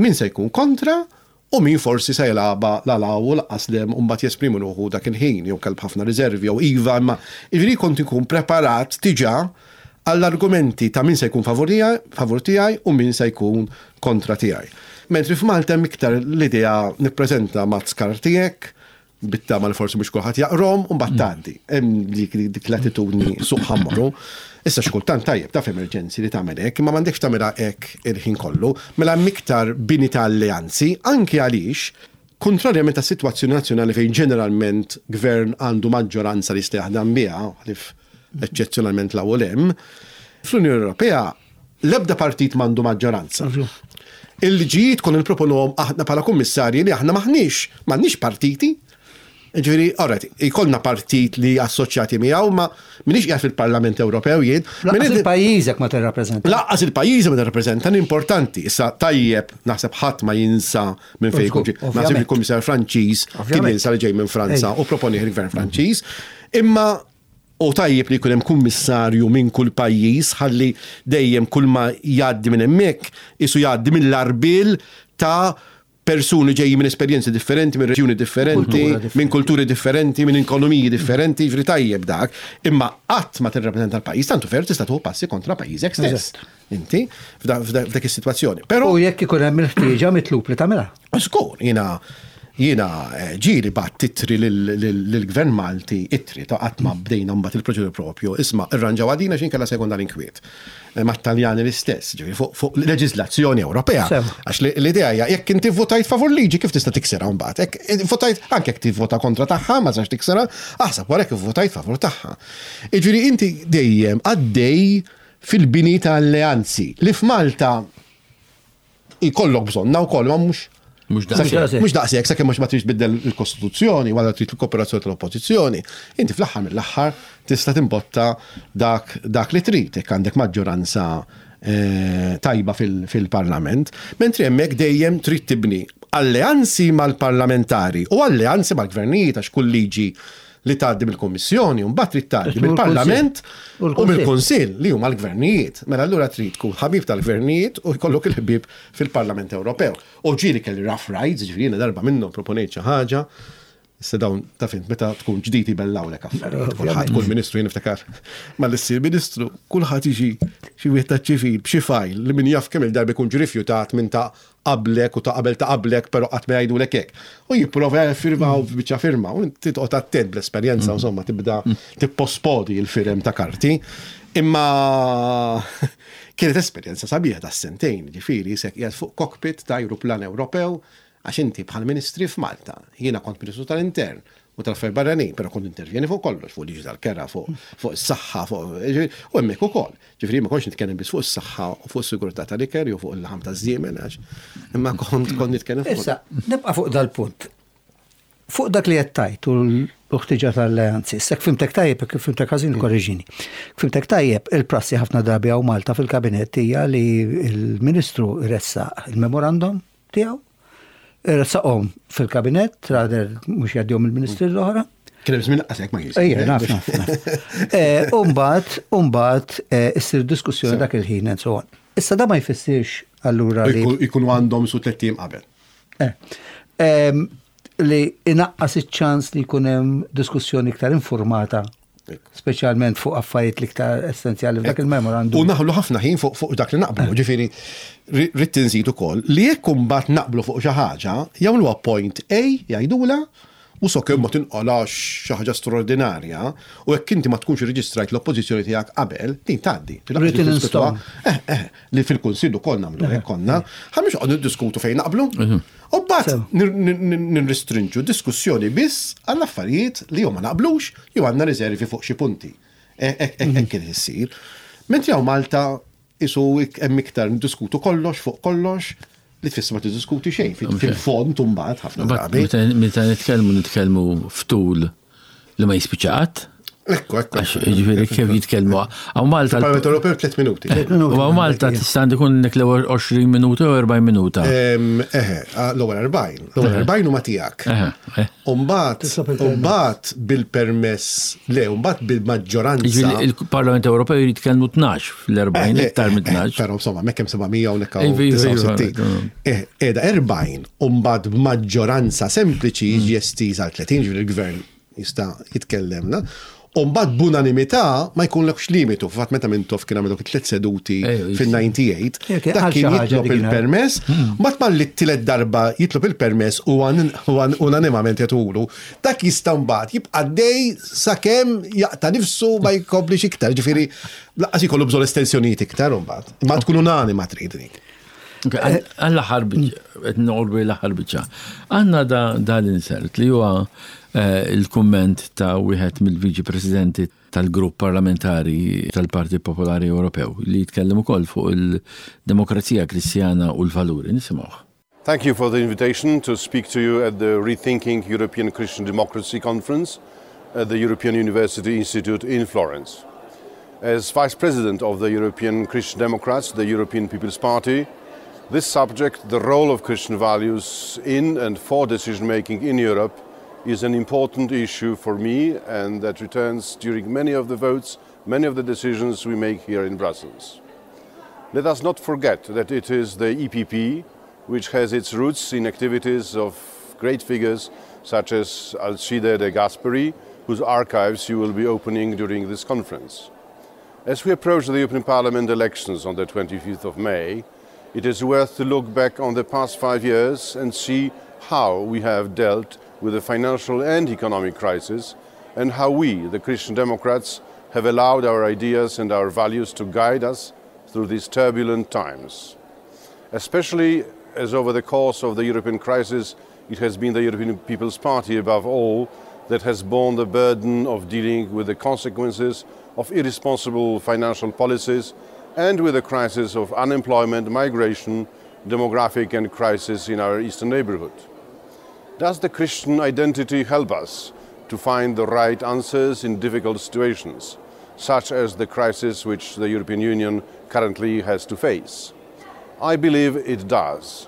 min se jkun kontra, u min forsi se jilgħabha la 'l hawn u lanqas 'l hemm u mbagħad jesprimu ruħu dak il-ħin, jew kelb ħafna riservi, jew iva, imma jiġifieri kont inkun preparat diġà għall-argumenti ta' min se jkun favur tiegħi u min se jkun kontra tiegħi. Mentri f'Malta hemm iktar l-idea nippreżenta mazz karti hekk, bit-tama li forsi mhux kulħadd jaqrom u mbagħad tgħaddi. Hemm dik dik l-attitudni suq ħa mmorru. Issa xi kultant tajjeb ta' f'emerġenzi li tagħmel hekk, imma m'għandekx tagħmilha hekk il-ħin kollu. Mela hemm iktar bini ta' alleanzi anke għaliex kontrarjament ta' sitwazzjoni nazzjonali fejn ġeneralment gvern għandu maġġoranza li jista' jaħdem biha, ħlief eċċezzjonalment l hemm, fl-Unjoni Ewropea l-ebda partit m'għandu maġġoranza. Il-liġijiet kon nipproponuhom aħna bħala kummissarji li aħna maħniex, m'għandniex partiti. Ġifieri, alright, ikollna partit li assoċjati miegħu, ma minix qiegħed fil-Parlament Ewropew jien. Lanqas il-pajjiżek ma tirrappreżenta. Lanqas il-pajjiż ma tirrappreżenta, importanti. Issa tajjeb naħseb ħadd ma jinsa minn fejn jkun. Naħseb il-Kummissar Franċiż kien jinsa li ġej minn Franza u proponi il-Gvern Franċiż. Imma u tajjeb li jkun hemm kummissarju minn kull pajjiż ħalli dejjem kull ma jgħaddi minn hemmhekk isu jgħaddi mill-arbil ta' persuni ġejjin minn esperjenzi differenti, minn reġjuni differenti, minn kulturi differenti, minn ekonomiji differenti, ġifieri tajjeb dak, imma qatt ma tirrappreżenta l-pajjiż, tantu fer tista' tieħu passi kontra pajjiżek stess. Inti f'dak is-sitwazzjoni. Però u jekk ikun hemm il-ħtieġa mitlub li tagħmilha. Żgur, jiena jiena ġieli bgħatt ittri lill-Gvern Malti, ittri ta' qatt ma bdejna mbagħad il-proċedura propju, isma' irranġaw għadina x'in kellha sekonda l-inkwiet. Mat-Taljani l-istess, ġifieri fuq leġiżlazzjoni Ewropea. Għax l-idea hija jekk inti votajt favur liġi kif tista' tiksirha mbagħad. Jekk votajt anke jekk tivvota kontra tagħha ma tistax tiksirha, aħseb wara jekk votajt favur tagħha. Jiġifieri inti dejjem għaddej fil-bini ta' alleanzi li f'Malta jkollok bżonna wkoll ma mhux Mhux daqshekk. Mhux daqshekk, sakemm mhux ma tridx tbiddel il-Kostituzzjoni wara trid il-kooperazzjoni tal-Oppożizzjoni. Inti fl-aħħar mill-aħħar tista' timbotta dak dak li trid jekk għandek maġġoranza tajba fil-Parlament, mentri hemmhekk dejjem trid tibni alleanzi mal-parlamentari u alleanzi mal-gvernijiet għax kull liġi li tgħaddi mill-Kummissjoni u mbagħad trid tgħaddi mill-Parlament u mill-Kunsill li huma l-gvernijiet. Mela allura trid tkun ħabib tal-gvernijiet u jkollok il-ħbieb fil-Parlament Ewropew. U ġieli kelli rough rides, ġifieri jiena darba minnhom proponejt xi ħaġa. Issa dawn taf int meta tkun ġdid jbellawlek affarijiet. Kulħadd kull ministru jien niftakar mal-issir ministru, kulħadd jiġi xi wieħed taċ-ċivil b'xi fajl li min jaf kemm il-darba jkun ġie rifjutat minn ta' qablek u ta' qabel ta' qablek, però qatt ma jgħidulek hekk. U jipprova firma u biċċa firma u inti toqgħod attent bl-esperjenza, insomma, tibda tippospodi l-firem ta' karti. Imma kienet esperjenza sabiħa ta' sentejn, ġifieri isek qiegħed fuq cockpit ta' ajruplan Ewropew, għax inti bħal ministri f'Malta, jiena kont ministru tal-intern u tal-affarijiet barranin, però kont intervjeni fuq kollox, fuq liġi tal-kera, fuq fuq is-saħħa, fuq u hemmhekk ukoll. Ġifieri ma kontx nitkellem biss fuq is-saħħa u fuq is-sigurtà tal-ikel jew fuq il-laħam taż-żiemel, għax imma kont kont nitkellem fuq. Issa, nibqa' fuq dal-punt. Fuq dak li qed tgħid u l-ħtiġa tal-alleanzi, issa fhimtek tajjeb, kif fhimtek ħażin korreġini. Fhimtek tajjeb, il-prassi ħafna drabi hawn Malta fil-kabinett hija li l-Ministru jressaq il-memorandum tiegħu, ressaqhom fil-kabinett, rather mhux jgħaddihom il-ministri l-oħra. Kien hemm żmien qasek ma jisir. Ejja, naf, naf, naf. U mbagħad, u mbagħad issir diskussjoni dak il-ħin and so on. Issa da ma jfissirx allura li Ikunu għandhom su tliet ijiem qabel. Li inaqqas iċ-ċans li jkun hemm diskussjoni iktar informata, speċjalment fuq affarijiet l-iktar essenzjali f'dak il-memorandum. U naħlu ħafna ħin fuq fuq dak li naqblu, ġifieri rrid tinżid ukoll li jekk imbagħad naqblu fuq xi ħaġa, jagħmluha point A jgħidula u sakemm ma tinqalax xi ħaġa straordinarja u jekk inti ma tkunx irreġistrajt l-oppożizzjoni tiegħek qabel, din tgħaddi. Written in stone. Eh, eh, li fil-Kunsill ukoll nagħmlu hekk konna, ħa mhux qogħdu niddiskutu fejn naqblu. U mbagħad nirrestrinġu diskussjoni biss għall affarijiet li jew ma naqblux jew għandna riservi fuq xi punti. Hekk kien issir. Mentri hawn Malta isu hemm iktar niddiskutu kollox fuq kollox li tfisser ma tiddiskuti xejn fil-fond mbagħad ħafna drabi. Meta nitkellmu nitkellmu ftul li ma jispiċċa qatt. Ekku, ekku. Għax, ġifieri kif jitkellmu. Hawn Malta. Il-Parlament Ewropew tliet minuti. U hawn Malta tista' tkun nek l-ewwel għoxrin minuta u erbgħin minuta. Eħe, l-ewwel erbgħin. L-ewwel erbgħin huma tiegħek. U mbagħad, u mbagħad bil-permess, le, u mbagħad bil-maġġoranza. Ġifieri il-Parlament Ewropew jrid jitkellmu tnax fl-erbgħin, iktar minn tnax. Però insomma, hemmhekk hemm seba' mija u hawnhekk hawn disgħa u sittin. Qiegħda erbgħin u mbagħad b'maġġoranza sempliċi jiġi estiż għal tletin, ġifieri il-gvern jista' jitkellem, na? U mbagħad b'unanimità ma jkunlekx limitu. F'fatt meta Mintoff kien għamel dawk it-tliet seduti fin-ninety-eight, dak kien jitlob il-permess, mbagħad malli t-tielet darba jitlob il-permess u unanimament jagħtulu, dak jista' mbagħad jibqa' dej sakemm jaqta' nifsu ma jkomplix iktar. Ġifieri lanqas jkollu bżonn estensjonijiet iktar mbagħad. Imma tkun unanima trid dik. Għall-aħħar biċċa, qed noqorbu l-aħħar biċċa. Għandna da l-insert li huwa il-kumment ta' wieħed mill-Viċi Presidenti tal-Grupp Parlamentari tal-Partit Popolari Ewropew li jitkellem ukoll fuq il-demokrazija kristjana u l-valuri. Nisimgħuh. Thank you for the invitation to speak to you at the Rethinking European Christian Democracy Conference at the European University Institute in Florence. As Vice President of the European Christian Democrats, the European People's Party, this subject, the role of Christian values in and for decision making in Europe, is an important issue for me and that returns during many of the votes, many of the decisions we make here in Brussels. Let us not forget that it is the E P P which has its roots in activities of great figures such as Alcide de Gasperi, whose archives you will be opening during this conference. As we approach the European Parliament elections on the twenty-fifth of May, it is worth to look back on the past five years and see how we have dealt with the financial and economic crisis and how we, the Christian Democrats, have allowed our ideas and our values to guide us through these turbulent times. Especially as over the course of the European crisis, it has been the European People's Party above all that has borne the burden of dealing with the consequences of irresponsible financial policies and with the crisis of unemployment, migration, demographic and crisis in our eastern neighborhood. Does the Christian identity help us to find the right answers in difficult situations, such as the crisis which the European Union currently has to face? I believe it does.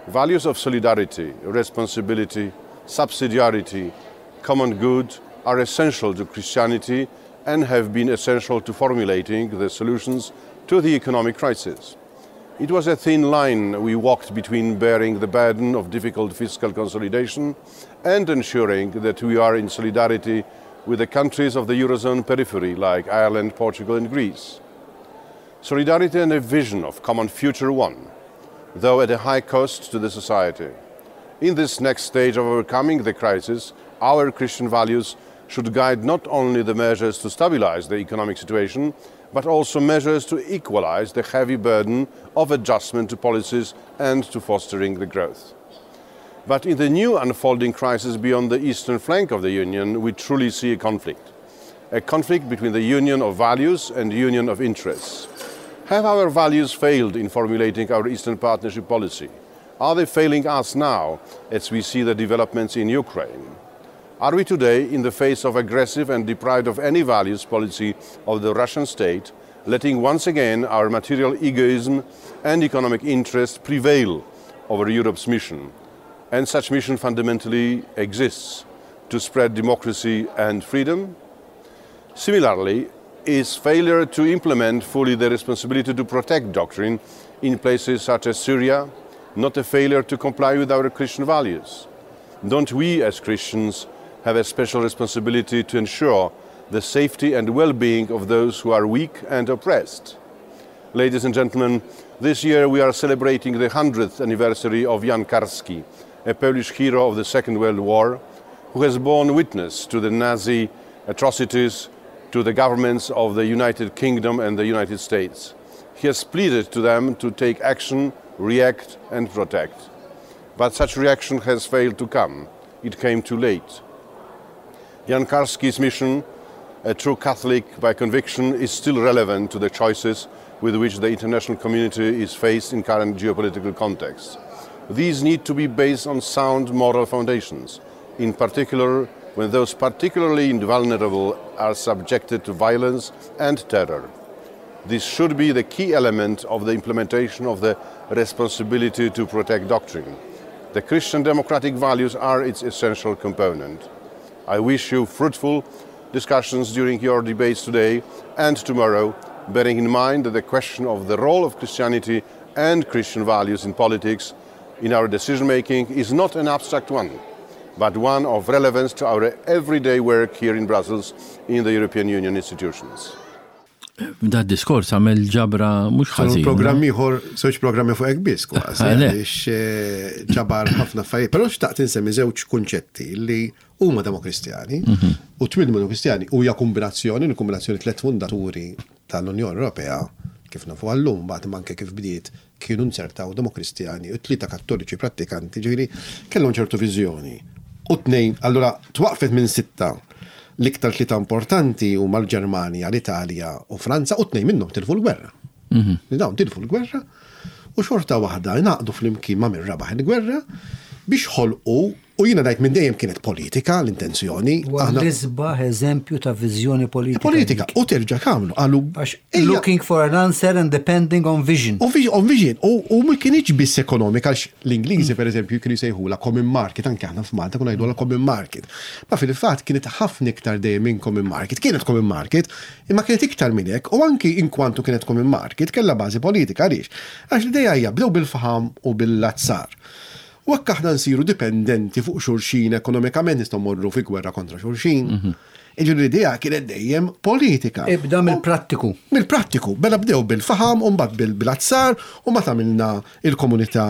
Values of solidarity, responsibility, subsidiarity, common good are essential to Christianity and have been essential to formulating the solutions to the economic crisis. It was a thin line we walked between bearing the burden of difficult fiscal consolidation and ensuring that we are in solidarity with the countries of the Eurozone periphery like Ireland, Portugal and Greece. Solidarity and a vision of common future won, though at a high cost to the society. In this next stage of overcoming the crisis, our Christian values should guide not only the measures to stabilize the economic situation, but also measures to equalize the heavy burden of adjustment to policies and to fostering the growth. But in the new unfolding crisis beyond the eastern flank of the Union, we truly see a conflict. A conflict between the union of values and union of interests. Have our values failed in formulating our Eastern Partnership policy? Are they failing us now as we see the developments in Ukraine? Are we today in the face of aggressive and deprived of any values policy of the Russian state, letting once again our material egoism and economic interest prevail over Europe's mission? And such mission fundamentally exists to spread democracy and freedom? Similarly, is failure to implement fully the responsibility to protect doctrine in places such as Syria not a failure to comply with our Christian values? Don't we as Christians have a special responsibility to ensure the safety and well-being of those who are weak and oppressed? Ladies and gentlemen, this year we are celebrating the hundredth anniversary of Jan Karski, a Polish hero of the Second World War, who has borne witness to the Nazi atrocities to the governments of the United Kingdom and the United States. He has pleaded to them to take action, react and protect. But such reaction has failed to come. It came too late. Jan Karski's mission, a true Catholic by conviction, is still relevant to the choices with which the international community is faced in current geopolitical context. These need to be based on sound moral foundations, in particular when those particularly vulnerable are subjected to violence and terror. This should be the key element of the implementation of the responsibility to protect doctrine. The Christian democratic values are its essential component. I wish you fruitful discussions during your debates today and tomorrow, bearing in mind that the question of the role of Christianity and Christian values in politics in our decision making is not an abstract one, but one of relevance to our everyday work here in Brussels in the European Union institutions. Da diskors għamel ġabra mhux ħażin. Programm ieħor, żewġ programmi fuq hekk biss kważi, għaliex eh, ġabar ħafna affarijiet. Però xtaqt insemmi żewġ kunċetti li huma demokristjani mhm. u tmien demokristjani u hija kombinazzjoni, l-kombinazzjoni tliet fundaturi tal-Unjoni Ewropea kif nafu għallum, bagħad anke kif bdiet kienu nzertaw demokristjani u tlieta kattoliċi prattikanti, ġifieri kellhom ċertu viżjoni. U tnejn, allura twaqfet minn sitta. L-iktar tlieta importanti huma l-Ġermanja, l-Italja u Franza u tnejn minnhom tilfu l-gwerra. Mhm. Dawn tilfu l-gwerra U xorta waħda ngħaqdu flimkien ma' min rabaħ il-gwerra biex ħolqu, u jiena ngħid minn dejjem kienet politika l-intenzjoni. Huwa l-isbaħ eżempju ta' viżjoni politika. Politika, u terġa' kamlu, qalu Għax looking for an answer and depending on vision. On vision, on vision. U, u ma kienx biss ekonomika, għax l-Ingliżi per eżempju kienu jsejħula common market, anke aħna f'Malta konna ngħidula common market. Ma fil-fatt kienet ħafna iktar dejjem minn common market, kienet common market, imma kienet iktar minn hekk, u anki inkwantu kienet common market, kellha bażi politika, għaliex? Għax l-idea hija bdew bil-faham u bil-azzar. U hekk aħna nsiru dipendenti fuq xulxin ekonomikament, nistgħu morru fi gwerra kontra xulxin. Jiġifieri l-idea kienet dejjem politika. Ibda mill-prattiku. Mill-prattiku. Bela bdew bil-faham, u mbagħad bil-azzar, u mbagħad għamilna il-Komunità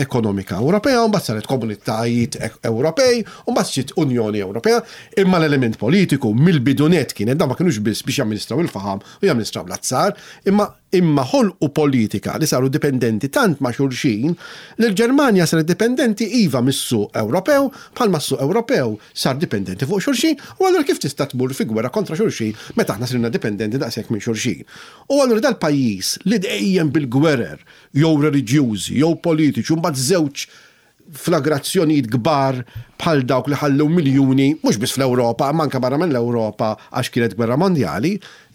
Ekonomika Ewropea, u mbagħad saret Komunitajiet Ewropej, u mbagħad ġiet Unjoni Ewropea, imma l-element politiku mill-bidunet kienet, dan ma kienux biss biex jamministraw il-faham u jamministraw l-azzar, imma imma ħolqu politika li saru dipendenti tant ma' xulxin li l-Ġermanja saret dipendenti iva mis-suq Ewropew, bħalma s-suq Ewropew sar dipendenti fuq xulxin, u allura kif tista' tmur fi gwerra kontra xulxin meta aħna sirna dipendenti daqshekk minn xulxin? U allura dal-pajjiż li dejjem bil-gwerer, jew reliġjużi, jew politiċi, u mbagħad żewġ flagrazzjonijiet kbar bħal dawk li ħallew miljuni, mhux biss fl-Ewropa, ma anke barra minn l-Ewropa għax kienet gwerra mondjali,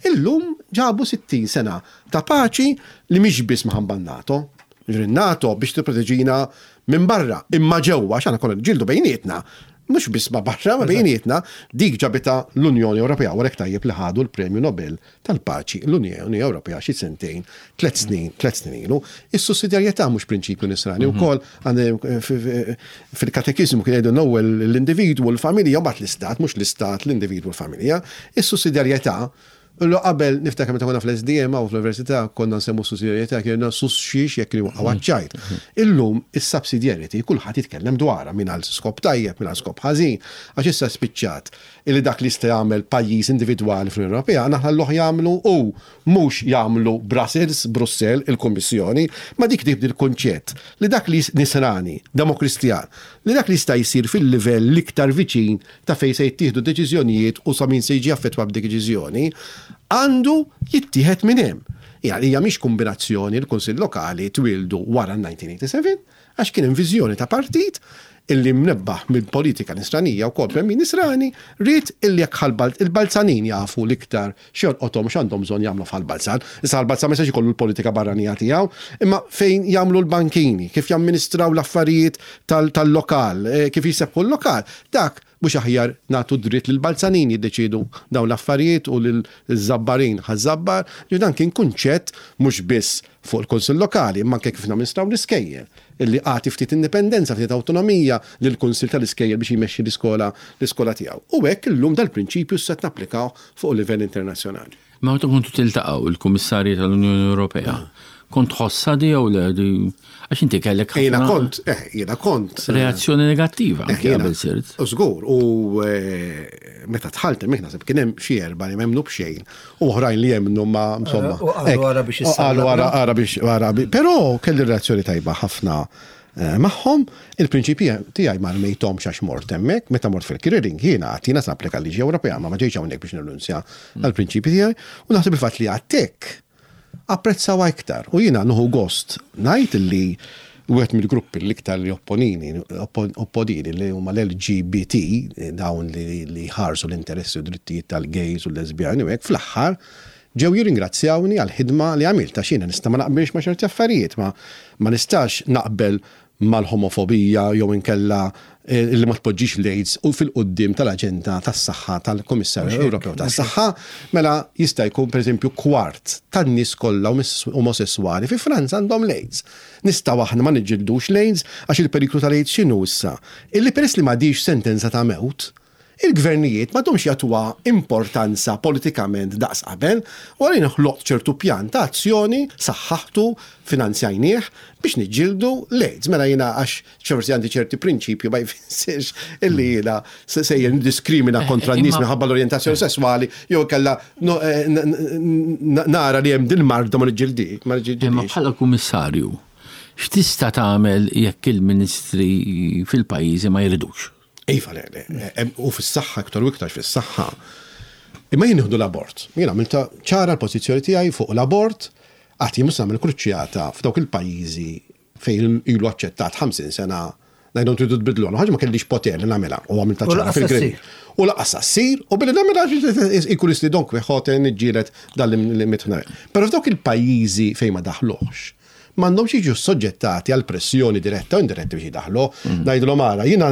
illum ġabu sittin sena ta' paċi li mhix biss minħabba NATO. Jiġifieri NATO biex tipproteġina minn barra, imma ġewwa għax aħna konna niġġieldu bejnietna, mhux biss ma' barra, ma bejnietna, dik ġabita l-Unjoni Ewropea, u għalhekk tajjeb li ħadu l-Premju Nobel tal-Paċi l-Unjoni Ewropea xi sentejn, tliet snin, tliet snin ilu. Is-sussidjarjetà mhux prinċipju nisrani wkoll, fil-katekiżmu kien jgħidu l-ewwel l-individwu, l-familja, u mbagħad l-istat, mhux l-istat, l-individwu, l-familja. Is-sussidjarjetà, Illu qabel niftakar meta konna fl-S D M u fl-università konna nsemmu sussidjarjetà, kienu sus xiex jekk kienu waqgħu ċajt. Illum is-subsidiarity kulħadd jitkellem dwarha minn għal skop tajjeb, minn għal skop ħażin, għax issa spiċċat illi dak li jista' jagħmel pajjiż individwali fl-Unjoni Ewropea naħna l-oħ jagħmlu u mhux jagħmlu Brussels, Brussell, il-Kummissjoni, ma dik tibdi l-kunċett li dak li nisrani, demokristjan, li dak li jista' jsir fil-livell l-iktar viċin ta' fejn se jittieħdu deċiżjonijiet u sa min se jiġi affettwat b'dik deċiżjoni, għandu jittieħed minn hemm. Hija hija mhix kombinazzjoni l-Kunsill Lokali twildu wara nineteen eighty-seven, għax kien hemm viżjoni ta' partit illi mnebbaħ mill-politika nisranija u kol min nisrani, rrid illi jekk ħal-Bal-, il-Balzanin jafu l-iktar x'jolqothom x'għandhom bżonn jagħmlu f'Ħal-Balzan. Issa Ħal-Balzan ma jistax ikollu l-politika barranija tiegħu, imma fejn jagħmlu l-bankini, kif jamministraw l-affarijiet tal-, tal-lokal, eh, kif jisebħu l-lokal, dak mhux aħjar nagħtu dritt lil Balzanin jiddeċiedu dawn l-affarijiet u lil żabbarin ħaż-żabbar. Ġifieri dan kien kunċett mhux biss fuq il-Kunsill Lokali, imma anke kif namministraw l-iskejjel, illi għati ftit indipendenza, ftit awtonomija lill-Kunsill tal-Iskejjel biex jmexxi l-iskola, l-iskola tiegħu. U hekk illum dal-prinċipju se napplikaw fuq livell internazzjonali. Ma meta kontu tiltaqgħu il-Kummissarji tal-Unjoni Ewropea, kont tħossha di jew le di? Għax inti kellek Jiena ħafna kont, eh, jiena kont, eh, reazzjoni negattiva eh, anke jiena qabel sirt. U żgur, u, eh, meta dħalt hemmhekk naħseb kien hemm xi erba' li m'hemmnu b'xejn u oħrajn li jemmnu ma insomma. U qalu Hekk, ara biex u qalu issallabna. ara, ara biex, ara biex, però kelli reazzjoni tajba ħafna, eh, magħhom. Il-prinċipji tiegħi ma rmejthomx għax mort hemmhekk, meta mort fil-Kiriring jiena għad jiena sapplika l-liġi Ewropea, ma ma ġejtx hawnhekk biex nirrinunzja għall-prinċipji tiegħi, u naħseb il-fatt li għadtek apprezzaw iktar. U jiena nieħu gost ngħid li wieħed mill-gruppi l-iktar li opponini, oppon-, opponini li huma l-L G B T, dawn li, li ħarsu l-interessi u drittijiet tal-gays u l-lesbjani u hekk, fl-aħħar ġew jirringrazzjawni għall-ħidma li għamilt, għax jiena nista' ma naqbilx ma' ċerti affarijiet, ma, ma nistax naqbel mal-homofobija jew inkella, eh, li ma tpoġġix l-AIDS u fil-qudiem tal-aġenda tas-saħħa tal-Kummissarju Mhux hekk, Ewropew mhux hekk. tas-saħħa, mela jista' jkun pereżempju kwart tan-nies kollha omis-, omosessuali fi Franza għandhom l-AIDS. Nistgħu aħna ma niġġildux l-AIDS għax il-periklu tal-AIDS x'inhu issa? Illi peress li m'għadix sentenza ta' mewt, il-gvernijiet m'għadhomx jagħtuha importanza politikament daqs qabel, u għalina ħloqt ċertu pjan ta' azzjoni, saħħaħtu, finanzjajnieh biex niġġieldu l-AIDS. Mela jiena għax forsi għandi ċerti prinċipju ma jfissirx illi jiena se-, sejjer niddiskrimina Eh, kontra eh, n-nies imma minħabba l-orjentazzjoni sesswali, jew kellha no, eh, n-, n-, n-, nara li hemm din marda ma niġġieldi, ma niġġildix. Imma bħala kummissarju, x'tista' tagħmel jekk il-ministri fil-pajjiżi ma jridux? Iva, le, le, le, u fis-saħħa iktar u iktar fis-saħħa. Imma jien nieħdu l-abort. Jien għamilta ċara l-pożizzjoni tiegħi fuq l-abort, Għati mhux nagħmel kruċjata f'dawk il-pajjiżi fejn ilu aċċettat ħamsin sena ngħidhom tridu tbidlu. Ħaġa ma kellix poter li nagħmilha u għamilta ċara fil-grid. U lanqas ssir u billi nagħmilha ikun isti Don Quixote niġġieled dal-limit. Però f'dawk il-pajjiżi fejn ma daħluhx, m'għandhomx jiġu soġġettati għal pressjoni diretta u indiretta biex jidaħlu. Ngħidulhom ara, jiena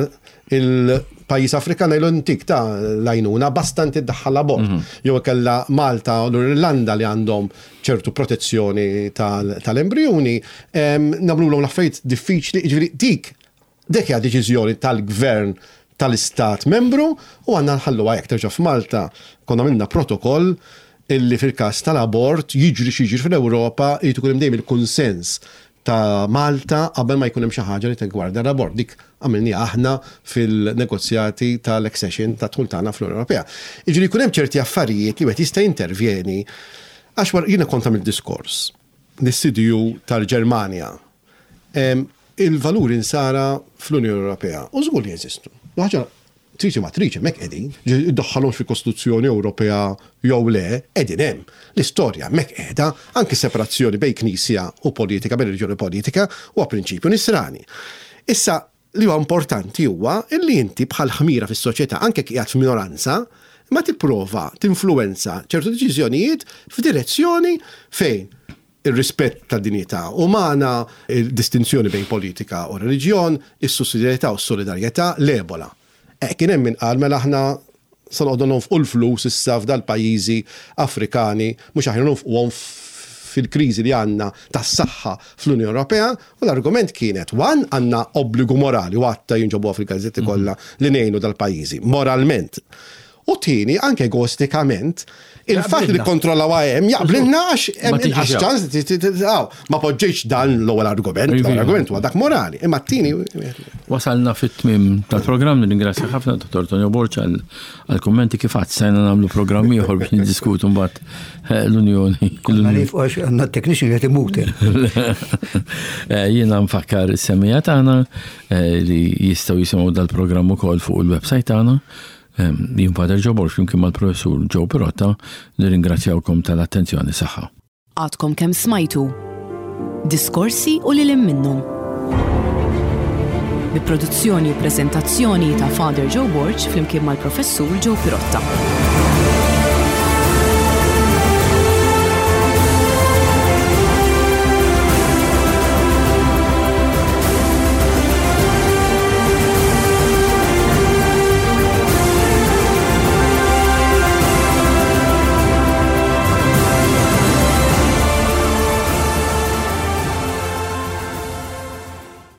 il-pajjiż Afrikan ngħidlu ntik ta' l-għajnuna basta inti ddaħħal abort. Jew kella Malta u l-Irlanda li għandhom ċertu protezzjoni tal-embrjuni, nagħmluhom l-affarijiet diffiċli, jiġifieri dik dik hija deċiżjoni tal-gvern tal-istat membru u għandna nħalluha hekk. Terġa' f'Malta konna minna protokoll illi fil-każ tal-abort jiġri x'jiġri fl-Ewropa jrid ikun hemm dejjem il-kunsens ta' Malta qabel ma jkun hemm xi ħaġa li tigwarda l-abort. Dik għamilni aħna fil-negozjati tal-accession ta' dħul tagħna fl-Unjoni Ewropea. Jiġri jkun hemm ċerti affarijiet li wieħed jista' jintervjeni għax wara jiena kont għamilt diskors lis-C D U tal-Ġermanja. Il-valuri nsara fl-Unjoni Ewropea u żgur li jeżistu. Ħaġa triċi ma triċi, mek qegħdin, iddaħħalhomx fil-Kostituzzjoni Ewropea jew le, qegħdin hemm. L-istorja mek qiegħda, anki separazzjoni bejn knisja u politika, bejn reliġjoni u politika, huwa prinċipju nisrani. Issa, li huwa importanti huwa illi inti bħal ħmira fis-soċjetà, anke qiegħed f'minoranza, ma tipprova tinfluwenza ċertu deċiżjonijiet f'direzzjoni fejn il-rispett ta' dinjità umana, il-distinzjoni bejn politika u reliġjon, is-sussidjarjetà u s-solidarjetà, l-Ebola. E, kien hemm min qal mela aħna se noqogħdu nonfqu l-flus issa f'dal-pajjiżi Afrikani, mhux aħna nonfquhom fil-kriżi li għandna tas-saħħa fl-Unjoni Ewropea, u l-argument kienet one għandna obbligu morali u għatta jinġobuha fil-gazzetti kollha li ngħinu dal-pajjiżi moralment. U tieni, anke egoistikament, il-fatt li kontrollaw hemm jaqblilna għax hemm inqas ċans ma poġġejx dan l-ewwel argument, l-ewwel argument huwa dak morali. Imma t-tieni. Wasalna fit-tmiem tal-programm, nirringrazzja ħafna Dottor Tonio Borg għall-kummenti. Kif għad sejna nagħmlu programm ieħor biex niddiskutu mbagħad eh, l-Unjoni. Għax għandna technician qed imut. Eh, jiena nfakkar is-semmiegħa tagħna eh, li jistgħu jisimgħu dal-programm ukoll fuq il-website tagħna. Jien Father Joe Borg flimkien mal-professur Joe Pirotta nirringrazzjawkom tal-attenzjoni. Saħħa. Għadkom kemm smajtu Diskorsi u lil minnhom. Bi produzzjoni u prezentazzjoni ta' Father Joe Borg flimkien mal-professur Joe Pirotta.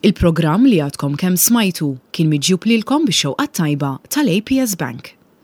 Il-programm li għadkom kemm smajtu kien miġjub lilkom bix-xewqa tajba tal-A P S Bank.